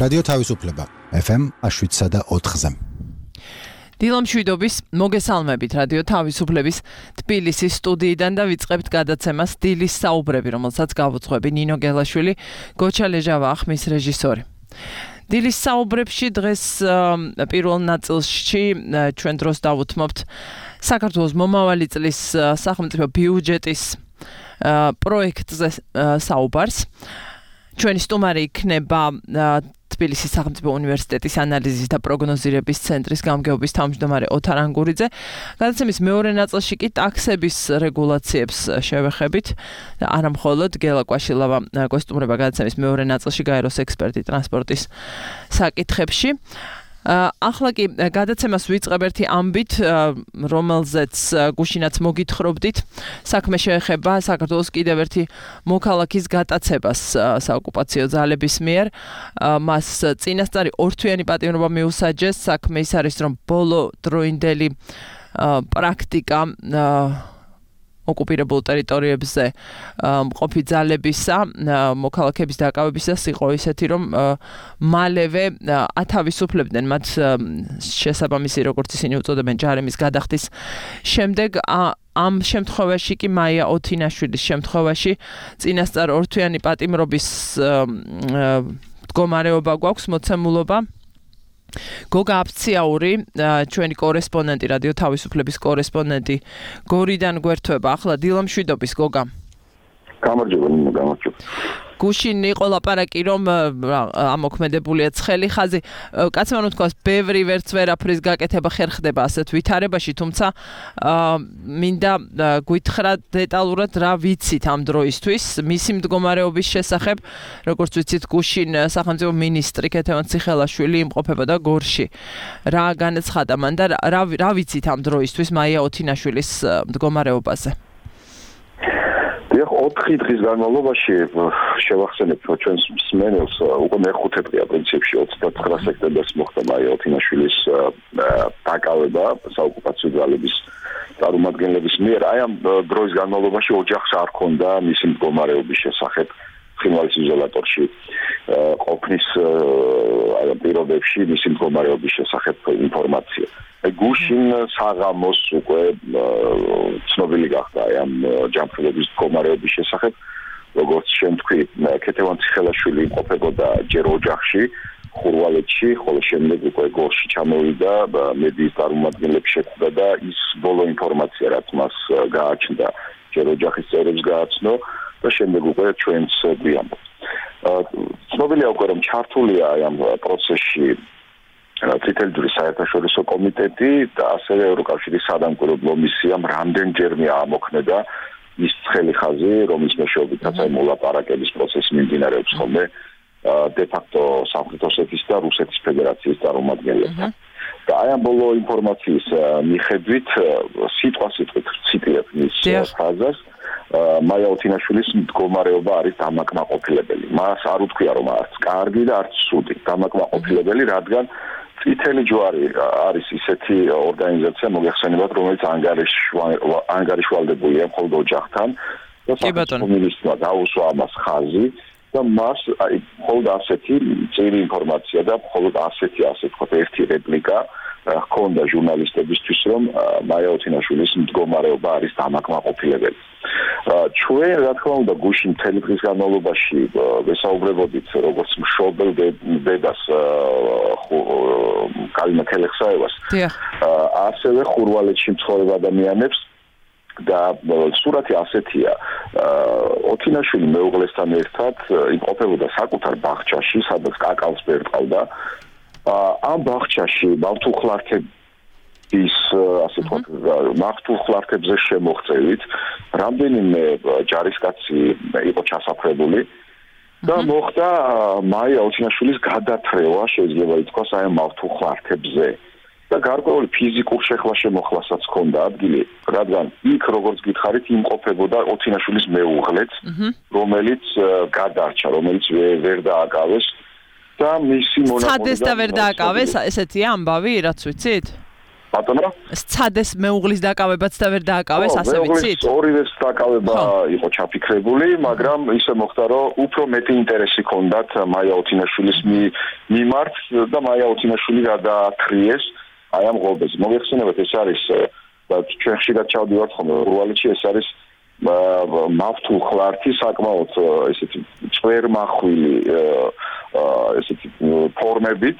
რადიო თავისუფლება FM 7.4-ზე. დილამ შვიდობის მოგესალმებით რადიო თავისუფლების თბილისის სტუდიიდან და ვიწყებთ გადაცემას დილის საუბრები, რომელსაც გავუძღვები ნინო გელაშვილი, გოჩა ლეჟავა ახმის რეჟისორი. დილის საუბრებში დღეს პირველ ნაწილში ჩვენ დროს დავუთმობთ საქართველოს მომავალი წლის სახელმწიფო ბიუჯეტის პროექტზე საუბარს. ჩვენი სტუმარი იქნება თბილისის სახელმწიფო უნივერსიტეტის ანალიზის და პროგნოზირების ცენტრის გამგეობის თავმჯდომარე ოთარ ანგურიძე. გადაცემის მეორე ნაწილში კი ტაქსების რეგულაციებს შევეხებით. არა მხოლოდ გელა კვაშილავა გვესტუმრება გადაცემის მეორე ნაწილში გაეროს ექსპერტი ტრანსპორტის საკითხებში. ახლა კი გადაცემას ვიწყებ ერთი ამბით, რომელზეც გუშინაც მოგითხრობდით. საქმე შეეხება საქართველოს კიდევ ერთი მოქალაქის გატაცებას საოკუპაციო ძალების მიერ. მას წინასწარი ორთვიანი პატიმრობა მიუსაჯეს. საქმე ის არის, რომ ბოლო დროინდელი პრაქტიკა ოკუპირებულ ტერიტორიებზე მყოფი ძალებისა, მოქალაქების დაკავებისას იყო ისეთი, რომ მალევე ათავისუფლებდნენ მათ შესაბამისი, როგორც ისინი უწოდებენ, ჯარიმის გადახდის შემდეგ. ამ შემთხვევაში კი მაია ოთინაშვილის შემთხვევაში წინასწარ ორთვიანი პატიმრობის მდგომარეობა გვაქვს, მოცემულობა. გოგა აფციაური, ჩვენი კორესპონდენტი, რადიო თავისუფლების კორესპონდენტი გორიდან გვერდება. ახლა დილამ შვიდობის, გოგა. გამარჯობა. გუშინ იყო ლაპარაკი, რომ ამოქმედებულია ცხელი ხაზი. კაცმა რომ თქვას, ბევრი ვერც ვერაფრის გაკეთება ხერხდება ასეთ ვითარებაში, თუმცა მინდა გითხრა დეტალურად რა ვიცით ამ დროისთვის მისი მდგომარეობის შესახებ. როგორც ვიცით, გუშინ სახელმწიფო მინისტრი ქეთევან ციხელაშვილი იმყოფებოდა გორში. რა განაცხადა მან და რა ვიცით ამ დროისთვის მაია ოთინაშვილის მდგომარეობაზე? 4 დღის განმავლობაში შევახსენებ ჩვენს მსმენელს, უკვე მე-5 დღეა პრინციპში 29 სექტემბერს მოხდა მაია ოთინაშვილის დაკავება საოკუპაციო ძალების წარმომადგენლების მიერ. აი ამ დროის განმავლობაში ოჯახს არ ჰქონდა მისი მდგომარეობის შესახებ ხინვალის იზოლატორში ყოფნის პირობებში მისი მდგომარეობის შესახებ ინფორმაცია. გუშინ საღამოს უკვე ცნობილი გახდა ამ ჯანმრთელობის მდგომარეობის შესახებ, როგორც შემთხვი, ქეთევან ციხელაშვილი იმყოფებოდა ჯერ ოჯახში, ხურვალეთში, ხოლო შემდეგ უკვე გორში ჩამოვიდა, მედიის წარმომადგენლებს შეხვდა და ის ბოლო ინფორმაცია, რაც მას გააჩნდა, ჯერ ოჯახის წევრებს გააცნო და შემდეგ უკვე ჩვენს გვიამბობ. ცნობილია უკვე, რომ ჩართულია ამ პროცესში წითელი ჯვრის საერთაშორისო კომიტეტი და ასევე ევროკავშირის სადამკვირვებლო მისიამ რამდენჯერმე ამოქმედა ის ცხელი ხაზი, რომლის მეშვეობითაც მოლაპარაკების პროცესი მიმდინარეობს ხოლმე დე-ფაქტო სამხრეთ ოსეთის და რუსეთის ფედერაციის წარმომადგენლებთან. და აი ამ ბოლო ინფორმაციის მიხედვით სიტყვასიტყვით ციტირებ მის ხაზას, მაია ოთინაშვილის მდგომარეობა არის დამაკმაყოფილებელი. მას არ უთქვია, რომ არც კარგი და არც ცუდი, დამაკმაყოფილებელი, რადგან წითელი ჯვარი არის ისეთი ორგანიზაცია, მოგეხსენებათ, რომელიც ანგარიშვალდებულია მხოლოდ ოჯახთან და სახელმწიფო მინისტრმა დაუსვა ამას ხაზი და მას მხოლოდ ასეთი წირი ინფორმაცია და მხოლოდ ასეთი, ასე ვთქვათ, ერთი რეპლიკა ჰქონდა ჟურნალისტებისთვის, რომ მაია ოთინაშვილის მდგომარეობა არის დამაკმაყოფილებელი. ჩვენ, რა თქმა უნდა, გუშინ მთელი დღის განმავლობაში ვესაუბრებოდით როგორც მშობელ დედას კალინა ქელეხსაევას, ასევე ხურვალეთში მცხოვრებ ადამიანებს და სურათი ასეთია. ოთინაშვილი მეუღლესთან ერთად იმყოფებოდა საკუთარ ბაღჩაში, სადაც კაკავს ბერტყავდა. ამ ბაღჩაში მავთულხლართების, ასე ვთქვათ, მავთულხლართებზე შემოღწევით რამდენიმე ჯარისკაცი იყო ჩასაფრებული და მოხდა მაია ოთინაშვილის გადათრევა, შეიძლება ითქვას, აი ამ მავთულხლართებზე. და გარკვეული ფიზიკურ შეხლა-შემოხლასაც ჰქონდა ადგილი, რადგან იქ, როგორც გითხარით, იმყოფებოდა ოთინაშვილის მეუღლეც, რომელიც გადარჩა, რომელიც ვერ დააკავეს და მისი მონაპოლი ცადეს და ვერ დააკავეს, ესეთია ამბავი, რაც ვიცით? ბატონო სცადეს მეუღლის დაკავებაც და ვერ დააკავეს ასე ვიცით ორივეს დაკავება იყო ჩაფიქრებული მაგრამ ისე მოხდა რომ უფრო მეტი ინტერესი ჰქონდათ მაია ოთინაშვილის მიმართ და მაია ოთინაშვილი გადააქრიეს აი ამ ღობეს მოგეხსენებათ ეს არის ჩვენ ხშირად ჩავდივართ ხოლმე რუალეთში ეს არის მავთულ ხლართი საკმაოდ ესეთი წვერმახვილი ესეთი ფორმებით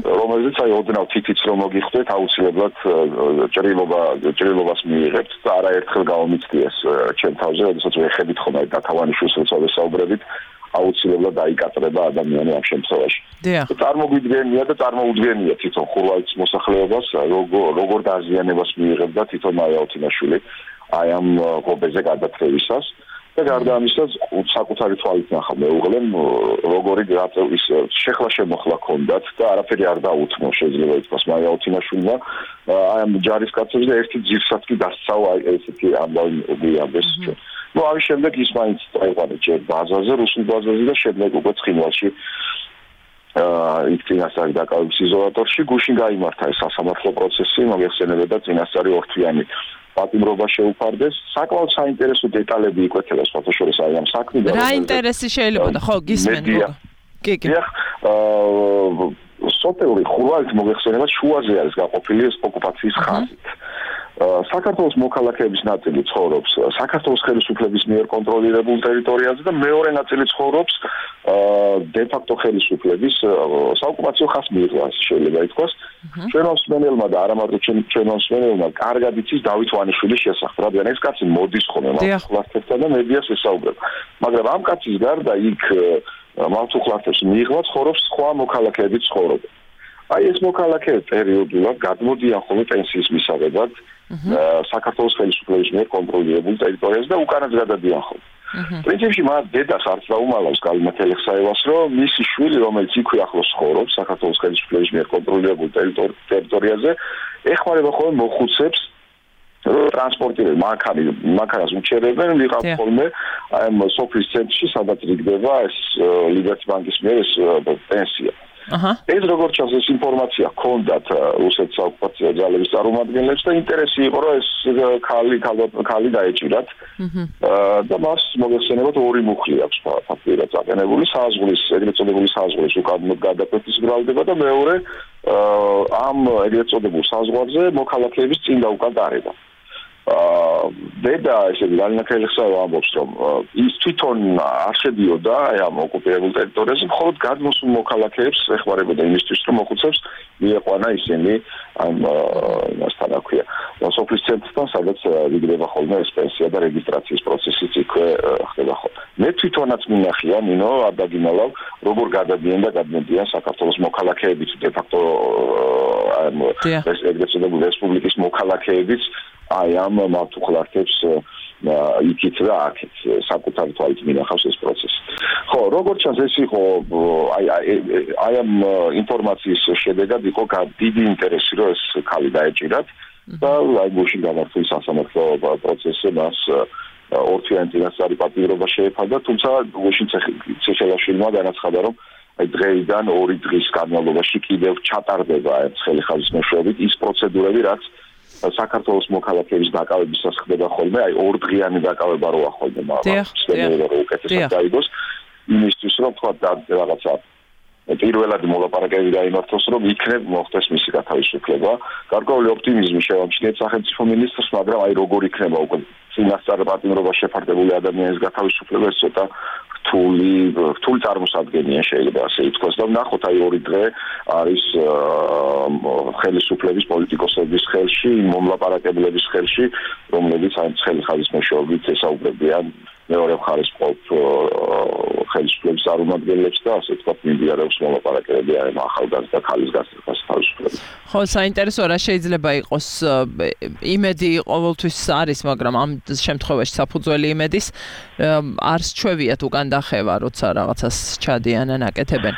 რომელზეც აი ოდნავ თითიც რომ მოგიხდეთ აუცილებლად ჭრილობას მიიღებთ და არაერთხელ გავამიცდიეს ჩემ თავზე როდესაც ვეხებით ხოლმე დათავანიშვილს როცა ვესაუბრებით აუცილებლად დაიკატრება ადამიანი ამ შემთხვევაში. წარმოუდგენია თვითონ ხურვალის მოსახლეობას როგორ დაზიანებას მიიღებდა თვითონ მაია ოთინაშვილი აი ამ ღობეზე გადათრევისას და გარდა ამისა საკუთარი თვალით ნახა მეუღლემ როგორი ის შეხლა შემოხლა ჰქონდათ და არაფერი არ დაუთმო შეიძლება ითქვას მაია ოთინაშვილმა აი ამ ჯარისკაცებს და ერთი ძირსაც კი დასცავა ესეთი ამბავი უგიაბეს ну ამის შემდეგ ის მაინც წაიყვანა ჯერ ბაზაზე რუსულ ბაზაზე და შემდეგ უკვე ცხინვალში იქ წინასწარი დაკავების იზოლატორში გუშინ გაიმართა ეს სასამართლო პროცესი მოგეხსენებათ და წინასწარი ორთვიანი პატიმრობა შეუფარდეს საკმაოდ საინტერესო დეტალები იკვეთება სხვათაშორის აი ამ საქმიდან რა ინტერესი შეიძლება და ხო გისმენ კი სოფელი ხურვალით მოგეხსენებათ შუაზე არის გაყოფილი ეს ოკუპაციის ხაზით საქართველოს მოქალაქეების ნაწილი ცხოვრობს საქართველოს ხელისუფლების მიერ კონტროლირებულ ტერიტორიაზე და მეორე ნაწილი ცხოვრობს დე-ფაქტო ხელისუფლების საოკუპაციო ხაზს მიიღოს შეიძლება ითქვას ჩვენო მსმენელმა და არა მარტო ჩვენო მსმენელმა კარგად იცის დავით ვანიშვილის შესახებ რადგან ეს კაცი მოდის ხოლმე მართლმსაჯულთან და მედიას ესაუბრება მაგრამ ამ კაცის გარდა იქ მართლმსაჯულს მიიღოს ცხოვრობს სხვა მოქალაქეების ცხოვრება აი ეს მოქალაქეები პერიოდულად გადმოდიან ხოლმე პენსიის მისაღებად საქართველოს ხელისუფლების მიერ კონტროლირებულ ტერიტორიაზე და უკანაც გადადიან ხოლმე. პრინციპში მათ დედას არც დაუმალავს გალინათ ელეხსაევას, რომ მისი შვილი, რომელიც იქვე ახლოს ცხოვრობს საქართველოს ხელისუფლების მიერ კონტროლირებულ ტერიტორიაზე, ეხმარება ხოლმე მოხუცებს ტრანსპორტირებენ მანქანას უჩერებენ ვიღებ ხოლმე აი ამ სოფლის ცენტრში სადაც იგდება ეს ლიბერტი ბანკის მიერ ეს პენსია. ეს როგორც ჩანს ეს ინფორმაცია ჰქონდათ რუსეთის საოკუპაციო ძალების წარმომადგენლებს და ინტერესი იყო რომ ეს ქალი დაეჭირათ და მას მოგეხსენებათ ორი მუხლი აქვს ფაქტიურად წაყენებული საზღვრის ეგრეთ წოდებული საზღვრის უკან გადაკვეთის ბრალდება და მეორე ამ ეგრეთ წოდებულ საზღვარზე მოქალაქეების წინ და უკან დარება დედა ესე გალინათ ელეხსაევა ამბობს რომ ის თვითონ არ შედიოდა აი ამ ოკუპირებულ ტერიტორიაზე მხოლოდ გადმოსულ მოქალაქეებს ეხმარებოდა იმისთვის რომ მოხუცებს მieყვანა ისინი ამ მასთან აქვია სოფლის ცენტრთან სადაც ვიგდება ხოლმე ეს პენსია და რეგისტრაციის პროცესიც იქვე ხდება ხოლმე მე თვითონაც მინახია ნინო არ დაგიმალავ როგორ გადადიან და გადმოდიან საქართველოს მოქალაქეებიც დე-ფაქტო ეს ეგრეთ წოდებული რესპუბლიკის მოქალაქეებიც აი ამ მართლმსაჯულს იქით და აქეთ საკუთარი თვალით მინახავს ეს პროცესი. ხო, როგორც ჩანს ეს იყო აი ამ ინფორმაციის შედეგად იყო დიდი ინტერესი რომ ეს ქალი დაეჭირათ და აი გუშინ გამართული სასამართლო პროცესზე მას ორთვიანი წინასწარი პატიმრობა შეეფარდა, თუმცა გუშინ ცეშელაშვილმა განაცხადა რომ აი დღეიდან 2 დღის განმავლობაში კიდევ ჩატარდება ეს ხელი ხაზის მეშვეობით ის პროცედურები რაც საქართველოს მოქალაქეების დაკავებისას ხდება ხოლმე, აი 2 დღიანი დაკავება როა ხოლმე მაგრამ უკეთესად დაიგოს იმისთვის რომ თქვა და რაღაცა პირველად მოლაპარაკებები გაიმართოს რომ იქნებ მოხდეს მისი გათავისუფლება. გარკვეული ოპტიმიზმი შევამჩნიეთ სახელმწიფო მინისტრს, მაგრამ აი როგორ იქნება უკვე წინასწარ პატიმრობა შეფარდებული ადამიანის გათავისუფლება ეს ცოტა რთული წარმოსადგენია შეიძლება ასე ითქვას და ვნახოთ აი 2 დღე არის ხელისუფლების პოლიტიკოსების ხელში, მომლაპარაკებლების ხელში, რომლებიც აი ხელი ხაზის მეშვეობით ესაუბრებიან მეორე მხარეს მყოფ ხელისუფლების წარმომადგენლებს და ასე თქვა მიმდინარეობს მოლაპარაკებები აი ახალგაზრდა ქალის გასწრებას თავისუფლებას. ხო, საინტერესო რა შეიძლება იყოს იმედი ყოველთვის არის, მაგრამ ამ შემთხვევაში საფუძველი იმედის არ სჩვევიათ უკან დახევა, როცა რაღაცას ჩადიან ან აკეთებენ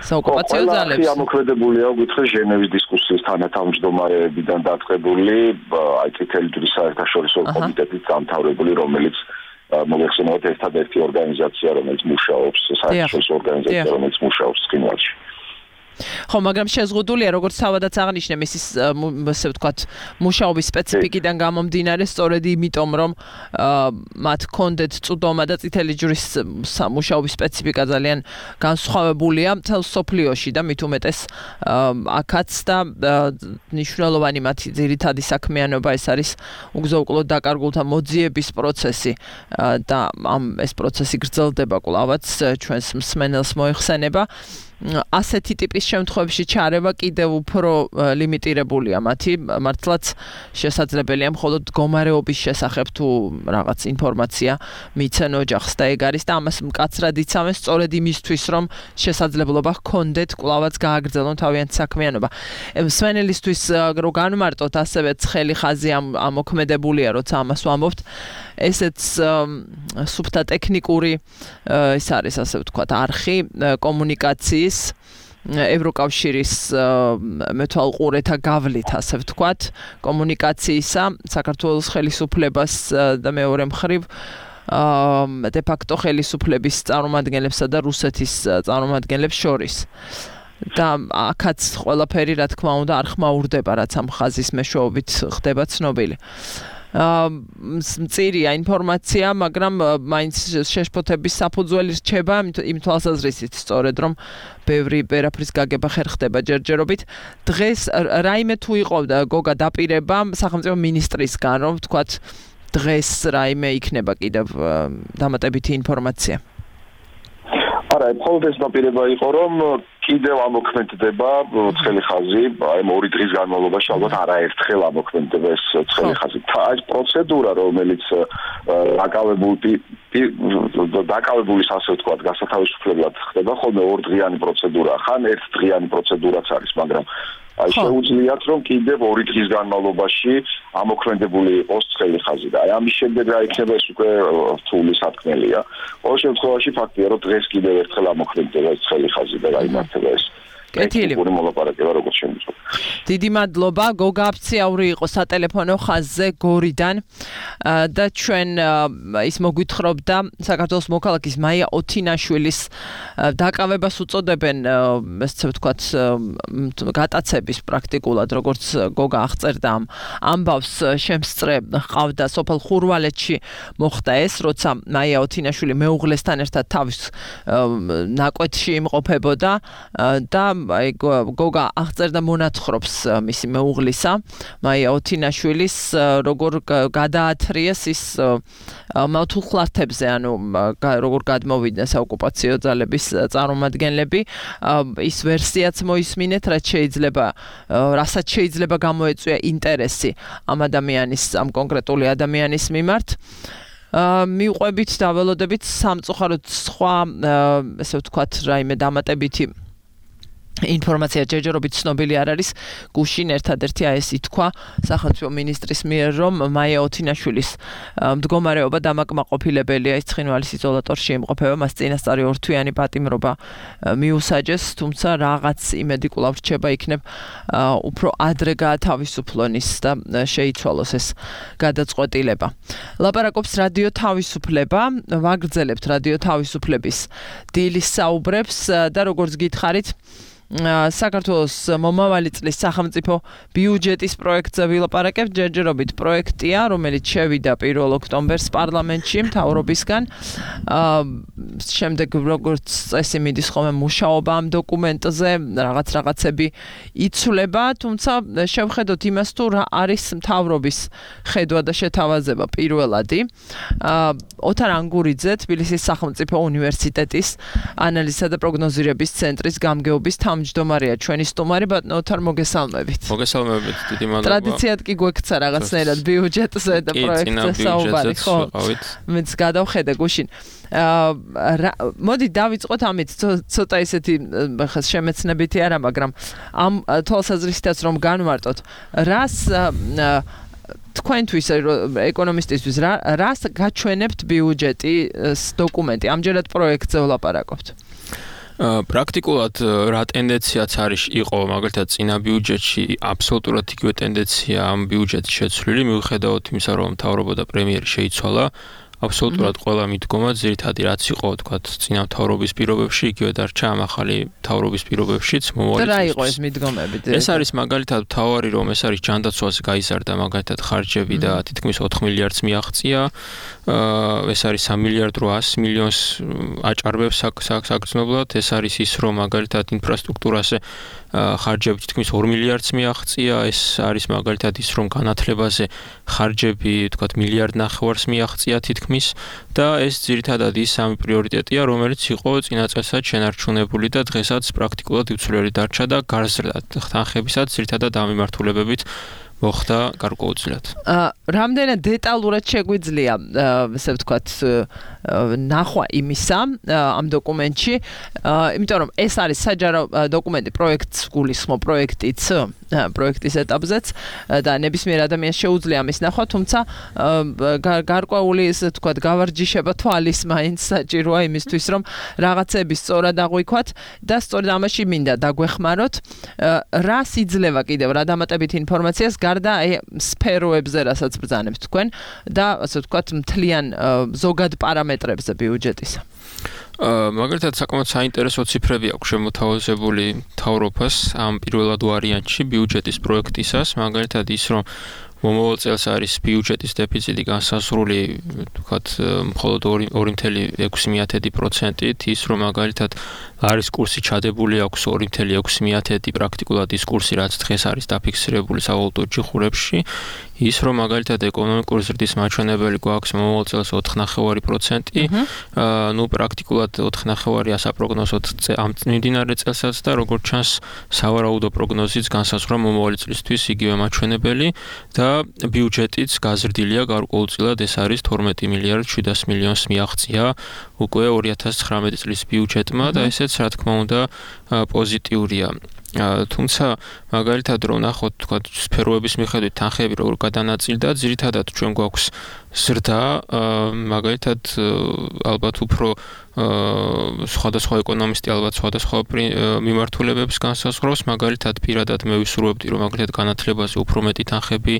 საოკუპაციო ძალებს. ყველა ამოქმედებულია უგითხე ჟენევის დისკუსიის თანათავმჯდომარეებიდან დაწყებული აი წითელი ჯვრის საერთაშორისო კომიტეტის დამთავრებული რომელიც მოგეხსენებათ ერთადერთი ორგანიზაცია რომელიც მუშაობს საერთაშორისო ორგანიზაცია რომელიც მუშაობს ცხინვალში. ხო, მაგრამ შეზღუდულია, როგორც თავადაც აღნიშნე, მისის ასე ვთქვათ, მუშაობის სპეციფიკიდან გამომდინარე, სწორედ იმიტომ, რომ მათ ჰქონდეთ წვდომა და წითელი ჯვრის მუშაობის სპეციფიკა ძალიან განსხვავებულია მთელ სოფლიოში და მით უმეტეს აქაც და მნიშვნელოვანი მათი ძირითადი საქმიანობა ეს არის უგზო-უკვლოდ დაკარგულთა მოძიების პროცესი და ეს პროცესი გრძელდება კვლავაც ჩვენს მსმენელს მოიხსენება. ასეთი ტიპის შემთხვევებში ჩარევა კიდევ უფრო ლიმიტირებულია მათი, მართლაც შესაძლებელია მხოლოდ მდგომარეობის შესახებ თუ რაღაც ინფორმაცია მიცენ ოჯახს და ეგ არის და ამას მკაცრად იცავენ სწორედ იმისთვის, რომ შესაძლებლობა ჰქონდეთ კვლავაც გააგრძელონ თავიანთი საქმიანობა. მსმენელისთვის რო განმარტოთ ასევე ცხელი ხაზი ამოქმედებულია, როცა ამას ვამბობთ, ესეც სუფთა ტექნიკური ეს არის ასე ვთქვათ არხი კომუნიკაციის ევროკავშირის მეთვალყურეთა გავლით ასე ვთქვათ კომუნიკაციისა საქართველოს ხელისუფლებას და მეორე მხრივ de facto ხელისუფლების წარმომადგენლებსა და რუსეთის წარმომადგენლებს შორის. და აქაც ყველაფერი რა თქმა უნდა არ ხმაურდება, რაც ამ ხაზის მეშვეობით ხდება ცნობილი. მწირია ინფორმაცია, მაგრამ მაინც შეშფოთების საფუძველი რჩება იმ თვალსაზრისით სწორედ რომ ბევრი ვერაფრის გაგება ხერხდება ჯერჯერობით. დღეს რაიმე თუ იყო გოგა დაპირება სახელმწიფო მინისტრისგან, რომ ვთქვათ დღეს რაიმე იქნება კიდევ დამატებითი ინფორმაცია. არა, მხოლოდ ეს დაპირება იყო, რომ კიდევ ამოქმედდება ცხელი ხაზი, აი 2 დღის განმავლობაში ალბათ არაერთხელ ამოქმედდება ეს ცხელი ხაზი. ეს პროცედურა, რომელიც დაკავებულის ასე ვთქვათ, გასათავისუფლებლად ხდება, ხოლმე 2 დღიანი პროცედურა, ხან 1 დღიანი პროცედურაც არის, მაგრამ აი შეუძლიათ რომ კიდევ 2 დღის განმავლობაში ამოქმედებული იყოს ცხელი ხაზი და აი ამის შემდეგ რა იქნება ეს უკვე რთული სათქმელია. ყოველ შემთხვევაში ფაქტია რომ დღეს კიდევ ერთხელ ამოქმედდება ეს ცხელი ხაზი და გაიმართება ეს კეთილი მოლაპარაკება როგორც შემიძლია. დიდი მადლობა, გოგა აფციაური იყო სატელეფონო ხაზზე გორიდან და ჩვენ ის მოგვითხრობდა საქართველოს მოქალაქის მაია ოთინაშვილის დაკავებას უწოდებენ ესე ვთქვათ გატაცების პრაქტიკულად როგორც გოგა აღწერდა ამ ამბავს შემსწრე ყავდა სოფელ ხურვალეთში მოხდა ეს როცა მაია ოთინაშვილი მეუღლესთან ერთად თავის ნაკვეთში იმყოფებოდა და აი გოგა აღწერდა მონათხრობს მისი მეუღლისა მაია ოთინაშვილის როგორ გადაათრიეს ის მავთულხლართებზე ანუ როგორ გადმოვიდნენ საოკუპაციო ძალების წარმომადგენლები ის ვერსიაც მოისმინეთ რასაც შეიძლება გამოეწვია ინტერესი ამ ადამიანის ამ კონკრეტული ადამიანის მიმართ მიუყვებით დაველოდებით სამწუხაროდ სხვა ესე ვთქვათ რაიმე დამატებითი ინფორმაცია ჯერჯერობით ცნობილი არ არის გუშინ ერთადერთი ეს ითქვა სახელმწიფო მინისტრის მიერ რომ მაია ოთინაშვილის მდგომარეობა დამაკმაყოფილებელია ის ცხინვალის იზოლატორში იმყოფება მას წინასწარი 2 თვიანი პატიმრობა მიუსაჯეს თუმცა რაღაც იმედი კვლავ რჩება იქნებ უფრო ადრე გაათავისუფლონ ის და შეიცვალოს ეს გადაწყვეტილება ლაპარაკობს რადიო თავისუფლება ვაგრძელებთ რადიო თავისუფლების დილის საუბრებს და როგორც გითხარით საქართველოს მომავალი წლის სახელმწიფო ბიუჯეტის პროექტზე ვილაპარაკებთ ჯერჯერობით პროექტია რომელიც შევიდა 1 ოქტომბერს პარლამენტში მთავრობისგან შემდეგ როგორც წესი მიდის ხოლმე მუშაობა ამ დოკუმენტზე რაღაცები იცვლება თუმცა შევხედოთ იმას თუ რა არის მთავრობის ხედვა და შეთავაზება პირველადი ოთარ ანგურიძე თბილისის სახელმწიფო უნივერსიტეტის ანალიზსა და პროგნოზირების ცენტრის გამგეობის მჯდომარეა ჩვენი სტუმარი ბატონო ოთარ მოგესალმებით. მოგესალმებით, დიდი მადლობა. ტრადიციად კი გვექცა რაღაცნაირად ბიუჯეტზე და პროექტზე საუბარი, ხო? მეც გადავხედე გუშინ. მოდი დავიწყოთ ამით ცოტა ისეთი ხა შემეცნებითი არა, მაგრამ ამ თვალსაზრისითაც რომ განვარტოთ, რას თქვენთვის ეკონომისტისთვის რას გაჩვენებთ ბიუჯეტის დოკუმენტი? ამჯერად პროექტზე ვლაპარაკობთ. პრაქტიკულად რა ტენდენციაც არის იყო მაგალითად წინა ბიუჯეტში აბსოლუტურად იგივე ტენდენცია ამ ბიუჯეტის შეცვლილი მიუხედავად იმისა რომ მთავრობა და პრემიერი შეიცვალა აბსოლუტურად ყველა მიდგომა ძირითადად რაც იყო თქვა წინა მთავრობის პირობებში იგივე დარჩა ამ ახალი მთავრობის პირობებშიც მომავალი და რა იყო ეს მიდგომები? ეს არის მაგალითად მთავარი რომ ეს არის ჯანდაცვაზე გაიზარდა მაგალითად ხარჯები და თითქმის 4 მილიარდს მიაღწია ეს არის 3 მილიარდ 800 მილიონს აჭარბებს საგრძნობლად ეს არის ის რომ მაგალითად ინფრასტრუქტურაზე ხარჯები თითქმის 2 მილიარდს მიაღწია ეს არის მაგალითად ის რომ განათლებაზე ხარჯები თქვა მილიარდ ნახევარს მიაღწია თითქმის და ეს ძირითადად ის სამი პრიორიტეტია რომელიც იყო წინა წელსაც შენარჩუნებული და დღესაც პრაქტიკულად უცვლელი დარჩა და გაზრდა თანხებისაც ძირითადად ამ მიმართულებებით მოხდა გარკვეულწილად. რამდენად დეტალურად შეგვიძლია ესე ვთქვათ ნახვა იმისა ამ დოკუმენტში, იმიტომ რომ ეს არის საჯარო დოკუმენტი პროექტს გულისხმობ პროექტის ეტაპზეც და ნებისმიერ ადამიანს შეუძლია ამის ნახვა, თუმცა გარკვეული ესე ვთქვათ გავარჯიშება თვალის მაინც საჭიროა იმისთვის რომ რაღაცები სწორად აღვიქვათ და სწორედ ამაში მინდა დაგვეხმაროთ რა სიძლევა კიდევ რა დამატებით ინფორმაციას და სფეროებზე რასაც ბრძანებთ თქვენ და ასე ვთქვათ მთლიან ზოგად პარამეტრებზე ბიუჯეტისა. მაგალითად საკმაოდ საინტერესო ციფრები აქვს შემოთავაზებული მთავრობას ამ პირველად ვარიანტში ბიუჯეტის პროექტისას, მაგალითად ის რომ მომავალ წელს არის ბიუჯეტის დეფიციტი განსაზღვრული, ვთქვათ, მხოლოდ 2.6%, ის რომ მაგალითად არის კურსი ჩადებული აქვს 2.6% პრაქტიკულად ის კურსი რაც დღეს არის დაფიქსირებული სავალუტო ჯიხურებში, ის რომ მაგალითად ეკონომიკური ზრდის მაჩვენებელი გვაქვს მომავალ წელს 4.9%, ნუ პრაქტიკულად 4.9%-ია საპროგნოზოდ ამ მიმდინარე წელსაც და როგორც ჩანს სავარაუდო პროგნოზიც განსაზღვრა მომავალი წლისთვის იგივე მაჩვენებელი და ბიუჯეტიც გაზრდილია გარკვეულწილად ეს არის 12 მილიარდ 700 მილიონს მიაღწია უკვე 2019 წლის ბიუჯეტმა და ესეც რა თქმა უნდა პოზიტიურია. თუმცა მაგალითად რომ ნახოთ თქვა სფეროების მიხედვით თანხები როგორ გადანაწილდა ძირითადად ჩვენ გვაქვს ზრდა მაგალითად ალბათ უფრო სხვადასხვა ეკონომისტი ალბათ სხვადასხვა მიმართულებებს განსაზღვრავს მაგალითად პირადად მე ვისურვებდი რომ მაგალითად განათლებაზე უფრო მეტი თანხები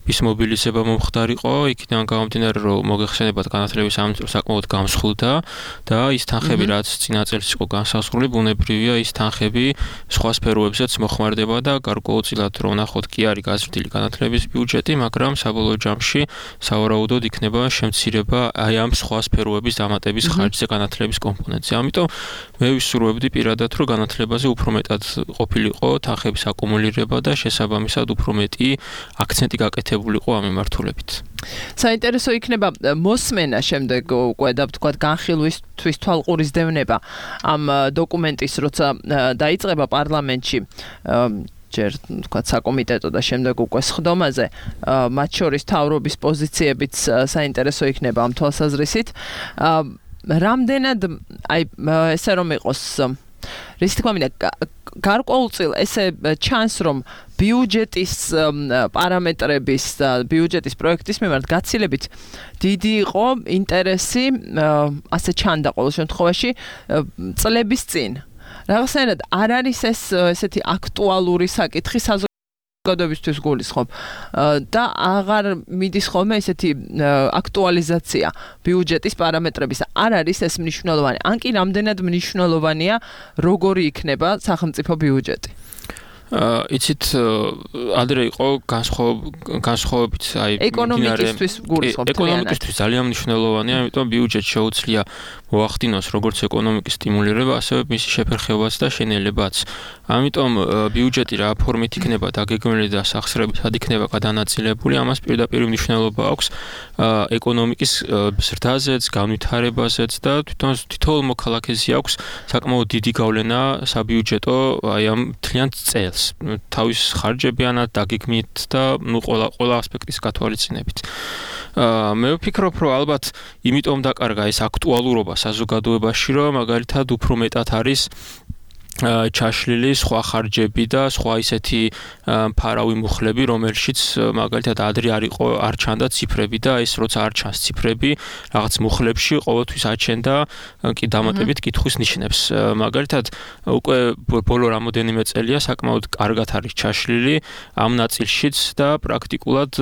ის მობილიზება მომხდარიყო იქიდან გამომდინარე რომ მოგეხსენებათ განათლების სამინისტრო საკმაოდ გამსხვილდა და ის თანხები რაც წინა წელს იყო განსაზღვრული ბუნებრივია ის თანხები სხვა სფეროებზეც მოხმარდება და გარკვეულწილად რომ ნახოთ კი არის გაზრდილი განათლების ბიუჯეტი მაგრამ საბოლოო ჯამში სავარაუდოდ იქნება შემცირება აი ამ სხვა სფეროების დამატების ხარჯზე განათლების კომპონენტზე. ამიტომ მე ვისურვებდი პირადად რომ განათლებაზე უფრო მეტად ყოფილიყო თანხების აკუმულირება და შესაბამისად უფრო მეტი აქცენტი გაკეთებულიყო ამ მიმართულებით. საინტერესო იქნება მოსმენა შემდეგ უკვე და ვთქვათ განხილვისთვის თვალყურის დევნება ამ დოკუმენტის როცა დაიწყება პარლამენტში ჯერ ვთქვათ საკომიტეტო და შემდეგ უკვე სხდომაზე მათ შორის თავრობის პოზიციებიც საინტერესო იქნება ამ თვალსაზრისით. რამდენად აი ესე რომ იყოს რის თქმა უნდა გარკვეულწილ ესე ჩანს რომ ბიუჯეტის პარამეტრების და ბიუჯეტის პროექტის მიმართ გაცილებით დიდი იყო ინტერესი ასე ჩანდა ყოველ შემთხვევაში წლების წინ რაღაცნაირად არ არის ეს ესეთი აქტუალური საკითხი საზოგადოებისთვის გულისხმობ და აღარ მიდის ხოლმე ესეთი აქტუალიზაცია ბიუჯეტის პარამეტრების არ არის ეს მნიშვნელოვანი ან კი რამდენად მნიშვნელოვანია როგორი იქნება სახელმწიფო ბიუჯეტი იცით ადრე იყო განსხვავებით აი ეკონომიკისთვის გულისხმობ ეკონომიკისთვის ძალიან მნიშვნელოვანია იმიტომ ბიუჯეტი შეუძლია მოახდინოს როგორც ეკონომიკის სტიმულირება ასევე მისი შეფერხებაც და შენელებაც ამიტომ ბიუჯეტი რა ფორმით იქნება დაგეგმილი და სახსრებითად იქნება გადანაწილებული ამას პირდაპირ მნიშვნელობა აქვს ეკონომიკის ზრდაზეც განვითარებაზეც და თითოეულ მოქალაქეზე აქვს საკმაოდ დიდი გავლენა საბიუჯეტო აი ამ მთლიან წელს თავის ხარჯებიანად დაგეგმით და ნუ ყველა ასპექტის გათვალისწინებით. მე ვფიქრობ, რომ ალბათ იმიტომ დაკარგა ეს აქტუალურობა საზოგადოებაში, რომ მაგალითად უფრო მეტად არის ჩაშლილი სხვა ხარჯები და სხვა ისეთი ფარავი მუხლები, რომელშიც მაგალითად ადრე არ ჩანდა ციფრები და ეს როცა არ ჩანს ციფრები, რაღაც მუხლებში ყოველთვის აჩენდა კი დამატებით კითხვის ნიშნებს. მაგალითად, უკვე ბოლო რამოდენიმე წელია საკმაოდ კარგად არის ჩაშლილი ამ ნაწილშიც და პრაქტიკულად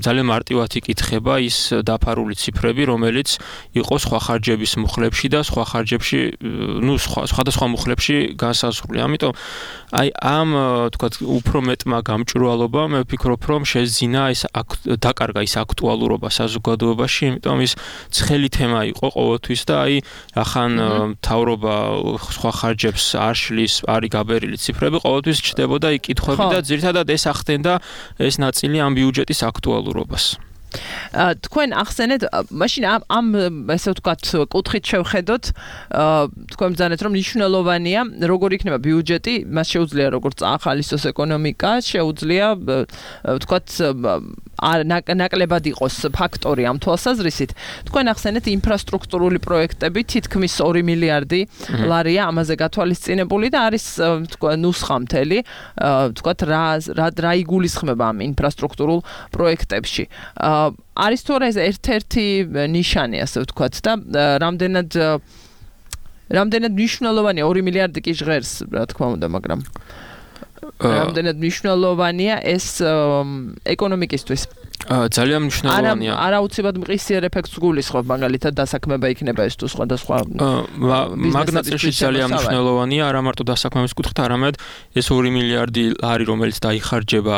ძალიან მარტივად იკითხება ის დაფარული ციფრები, რომელიც იყო სხვა ხარჯების მუხლებში და სხვა ხარჯებში, სხვადასხვა მუხლებში განსაზღვრული. ამიტომ აი ამ თქვათ უფრო მეტმა გამჭვირვალობამ მე ვფიქრობ, რომ შეძინა ეს დაკარგა ის აქტუალურობა საზოგადოებაში, იმიტომ ის ცხელი თემა იყო ყოველთვის და აი ახან მთავრობა სხვა ხარჯებს არ შლის, არის გაბერილი ციფრები, ყოველთვის ჩდებოდა იქ კითხვები და ძირითადად ეს ახდენდა ეს ნაწილი ამ ბიუჯეტის აქტუალურობას. თქვენ ახსენეთ, მაშინ ამ ესე ვთქვათ, კუთხით შევხედოთ, თქვენ ბრძანეთ, რომ მნიშვნელოვანია, როგორ იქნება ბიუჯეტი, მას შეუძლია როგორც ახალისოს ეკონომიკა, შეუძლია ვთქვათ, ნაკლებად იყოს ფაქტორი ამ თვალსაზრისით. თქვენ ახსენეთ ინფრასტრუქტურული პროექტები, თითქმის 2 მილიარდი ლარია ამაზე გათვალისწინებული და არის ნუსხა მთელი, ვთქვათ, რა იგულისხმება ამ ინფრასტრუქტურულ პროექტებში. არის თუ არა ეს ერთ-ერთი ნიშანი, ასე ვთქვათ, და რამდენად მნიშვნელოვანია 2 მილიარდი კი ჟღერს, რა თქმა უნდა, მაგრამ რამდენად მნიშვნელოვანია ეს ეკონომიკისთვის? ძალიან მნიშვნელოვანია. არა უცებად მყისიერ ეფექტს გულისხმობ, მაგალითად დასაქმება იქნება ეს თუ სხვადასხვა მაგნატილში ძალიან მნიშვნელოვანია, არა მარტო დასაქმების კუთხით, არამედ ეს 2 მილიარდი ლარი, რომელიც დაიხარჯება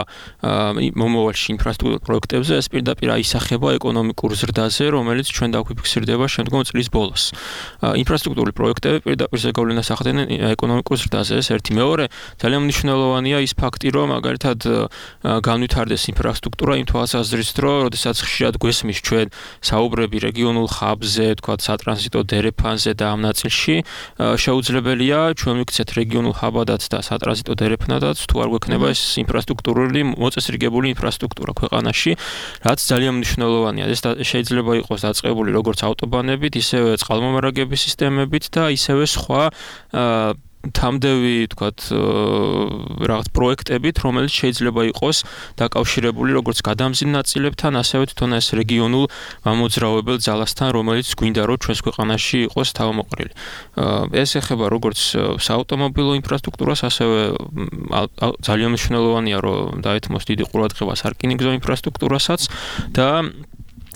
მომავალში ინფრასტრუქტურულ პროექტებზე, ეს პირდაპირ აისახება ეკონომიკურ ზრდაზე, რომელიც ჩვენ დაგვიფიქსირდება შემდგომ წლის ბოლოს. ინფრასტრუქტურული პროექტები პირდაპირ ზეგავლენას ახდენენ ეკონომიკურ ზრდაზე, ეს ერთი. მეორე, ძალიან მნიშვნელოვანია ის ფაქტი, რომ მაგალითად განვითარდეს ინფრასტრუქტურა იმ თვალსაზრისით, რომ როდესაც ხშირად გვესმის ჩვენ საუბრები რეგიონულ ხაბზე, თქვათ სატრანზიტო დერეფანზე და ამ ნაწილში, შეუძლებელია ჩვენ მივიქცეთ რეგიონულ ხაბადაც და სატრანზიტო დერეფნადაც, თუ არ გვექნება ეს ინფრასტრუქტურული მოწესრიგებული ინფრასტრუქტურა ქვეყანაში, რაც ძალიან მნიშვნელოვანია. ეს შეიძლება იყოს დაწყებული როგორც ავტობანებით, ისევე წყალმომარაგების სისტემებით და ისევე სხვა თამდევი, თქვათ, რაღაც პროექტებით, რომელიც შეიძლება იყოს დაკავშირებული როგორც გადამზიდ ნაწილებთან, ასევე თვითონ ეს რეგიონულ მამოძრავებელ ძალასთან, რომელიც გვინდა რომ ჩვენს ქვეყანაში იყოს თავმოყრილი. ეს ეხება როგორც საავტომობილო ინფრასტრუქტურას, ასევე ძალიან მნიშვნელოვანია, რომ დაეთმოს დიდი ყურადღება სარკინიგზო ინფრასტრუქტურასაც და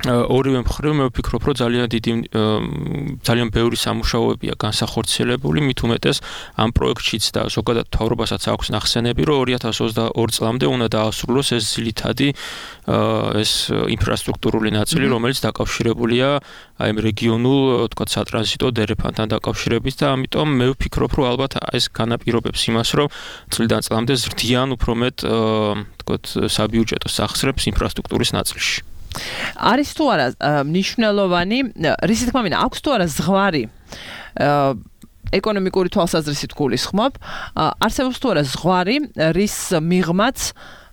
ორივე მხრივ მე ვფიქრობ, რომ ძალიან ბევრი სამუშაოებია განსახორციელებული, მით უმეტეს ამ პროექტშიც და ზოგადად მთავრობასაც აქვს ნახსენები, რომ 2022 წლამდე უნდა დაასრულოს ეს ძირითადი ეს ინფრასტრუქტურული ნაწილი, რომელიც დაკავშირებულია აი ამ რეგიონულ, თქვათ, სატრანზიტო დერეფანთან დაკავშირებით და ამიტომ მე ვფიქრობ, რომ ალბათ ეს განაპირობებს იმას, რომ წლიდან წლამდე ზრდიან უფრო მეტ, თქვათ, საბიუჯეტო სახსრებს ინფრასტრუქტურის ნაწილში. არის თუ არა მნიშვნელოვანი, რისი თქმა მინდა, აქვს თუ არა ზღვარი ეკონომიკური თვალსაზრისით გულისხმობ, არსებობს თუ არა ზღვარი, რის მიღმაც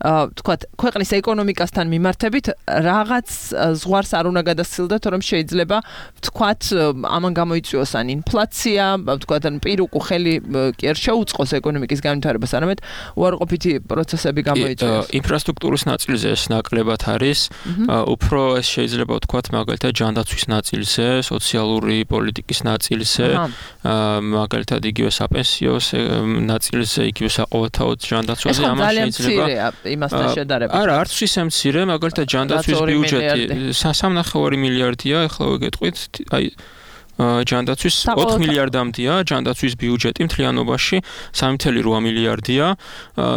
თქვათ, ქვეყნის ეკონომიკასთან მიმართებით რაღაც ზღვარს არ უნდა გადასცილდეთ, რომ შეიძლება თქვათ, ამან გამოიწვიოს ან ინფლაცია, თქვათ, ან პირუკუ ხელი კი არ შეუწყოს ეკონომიკის განვითარებას, არამედ უარყოფითი პროცესები გამოიწვიოს. ინფრასტრუქტურის ნაწილზე ეს ნაკლებად არის, უფრო ეს შეიძლება ვთქვათ, მაგალითად ჯანდაცვის ნაწილზე, სოციალური პოლიტიკის ნაწილზე, მაგალითად იგივე საპენსიო ნაწილზე, იგივე საყოველთაო ჯანდაცვაზე, ამას შეიძლება იმასთან შედარებით. არა, არც ისე მცირე, მაგალითად ჯანდაცვის ბიუჯეტი 3.5 მილიარდია, ახლა ვიგეტყვით, აი ჯანდაცვის 4 მილიარდამდეა ჯანდაცვის ბიუჯეტი მთლიანობაში 3.8 მილიარდია.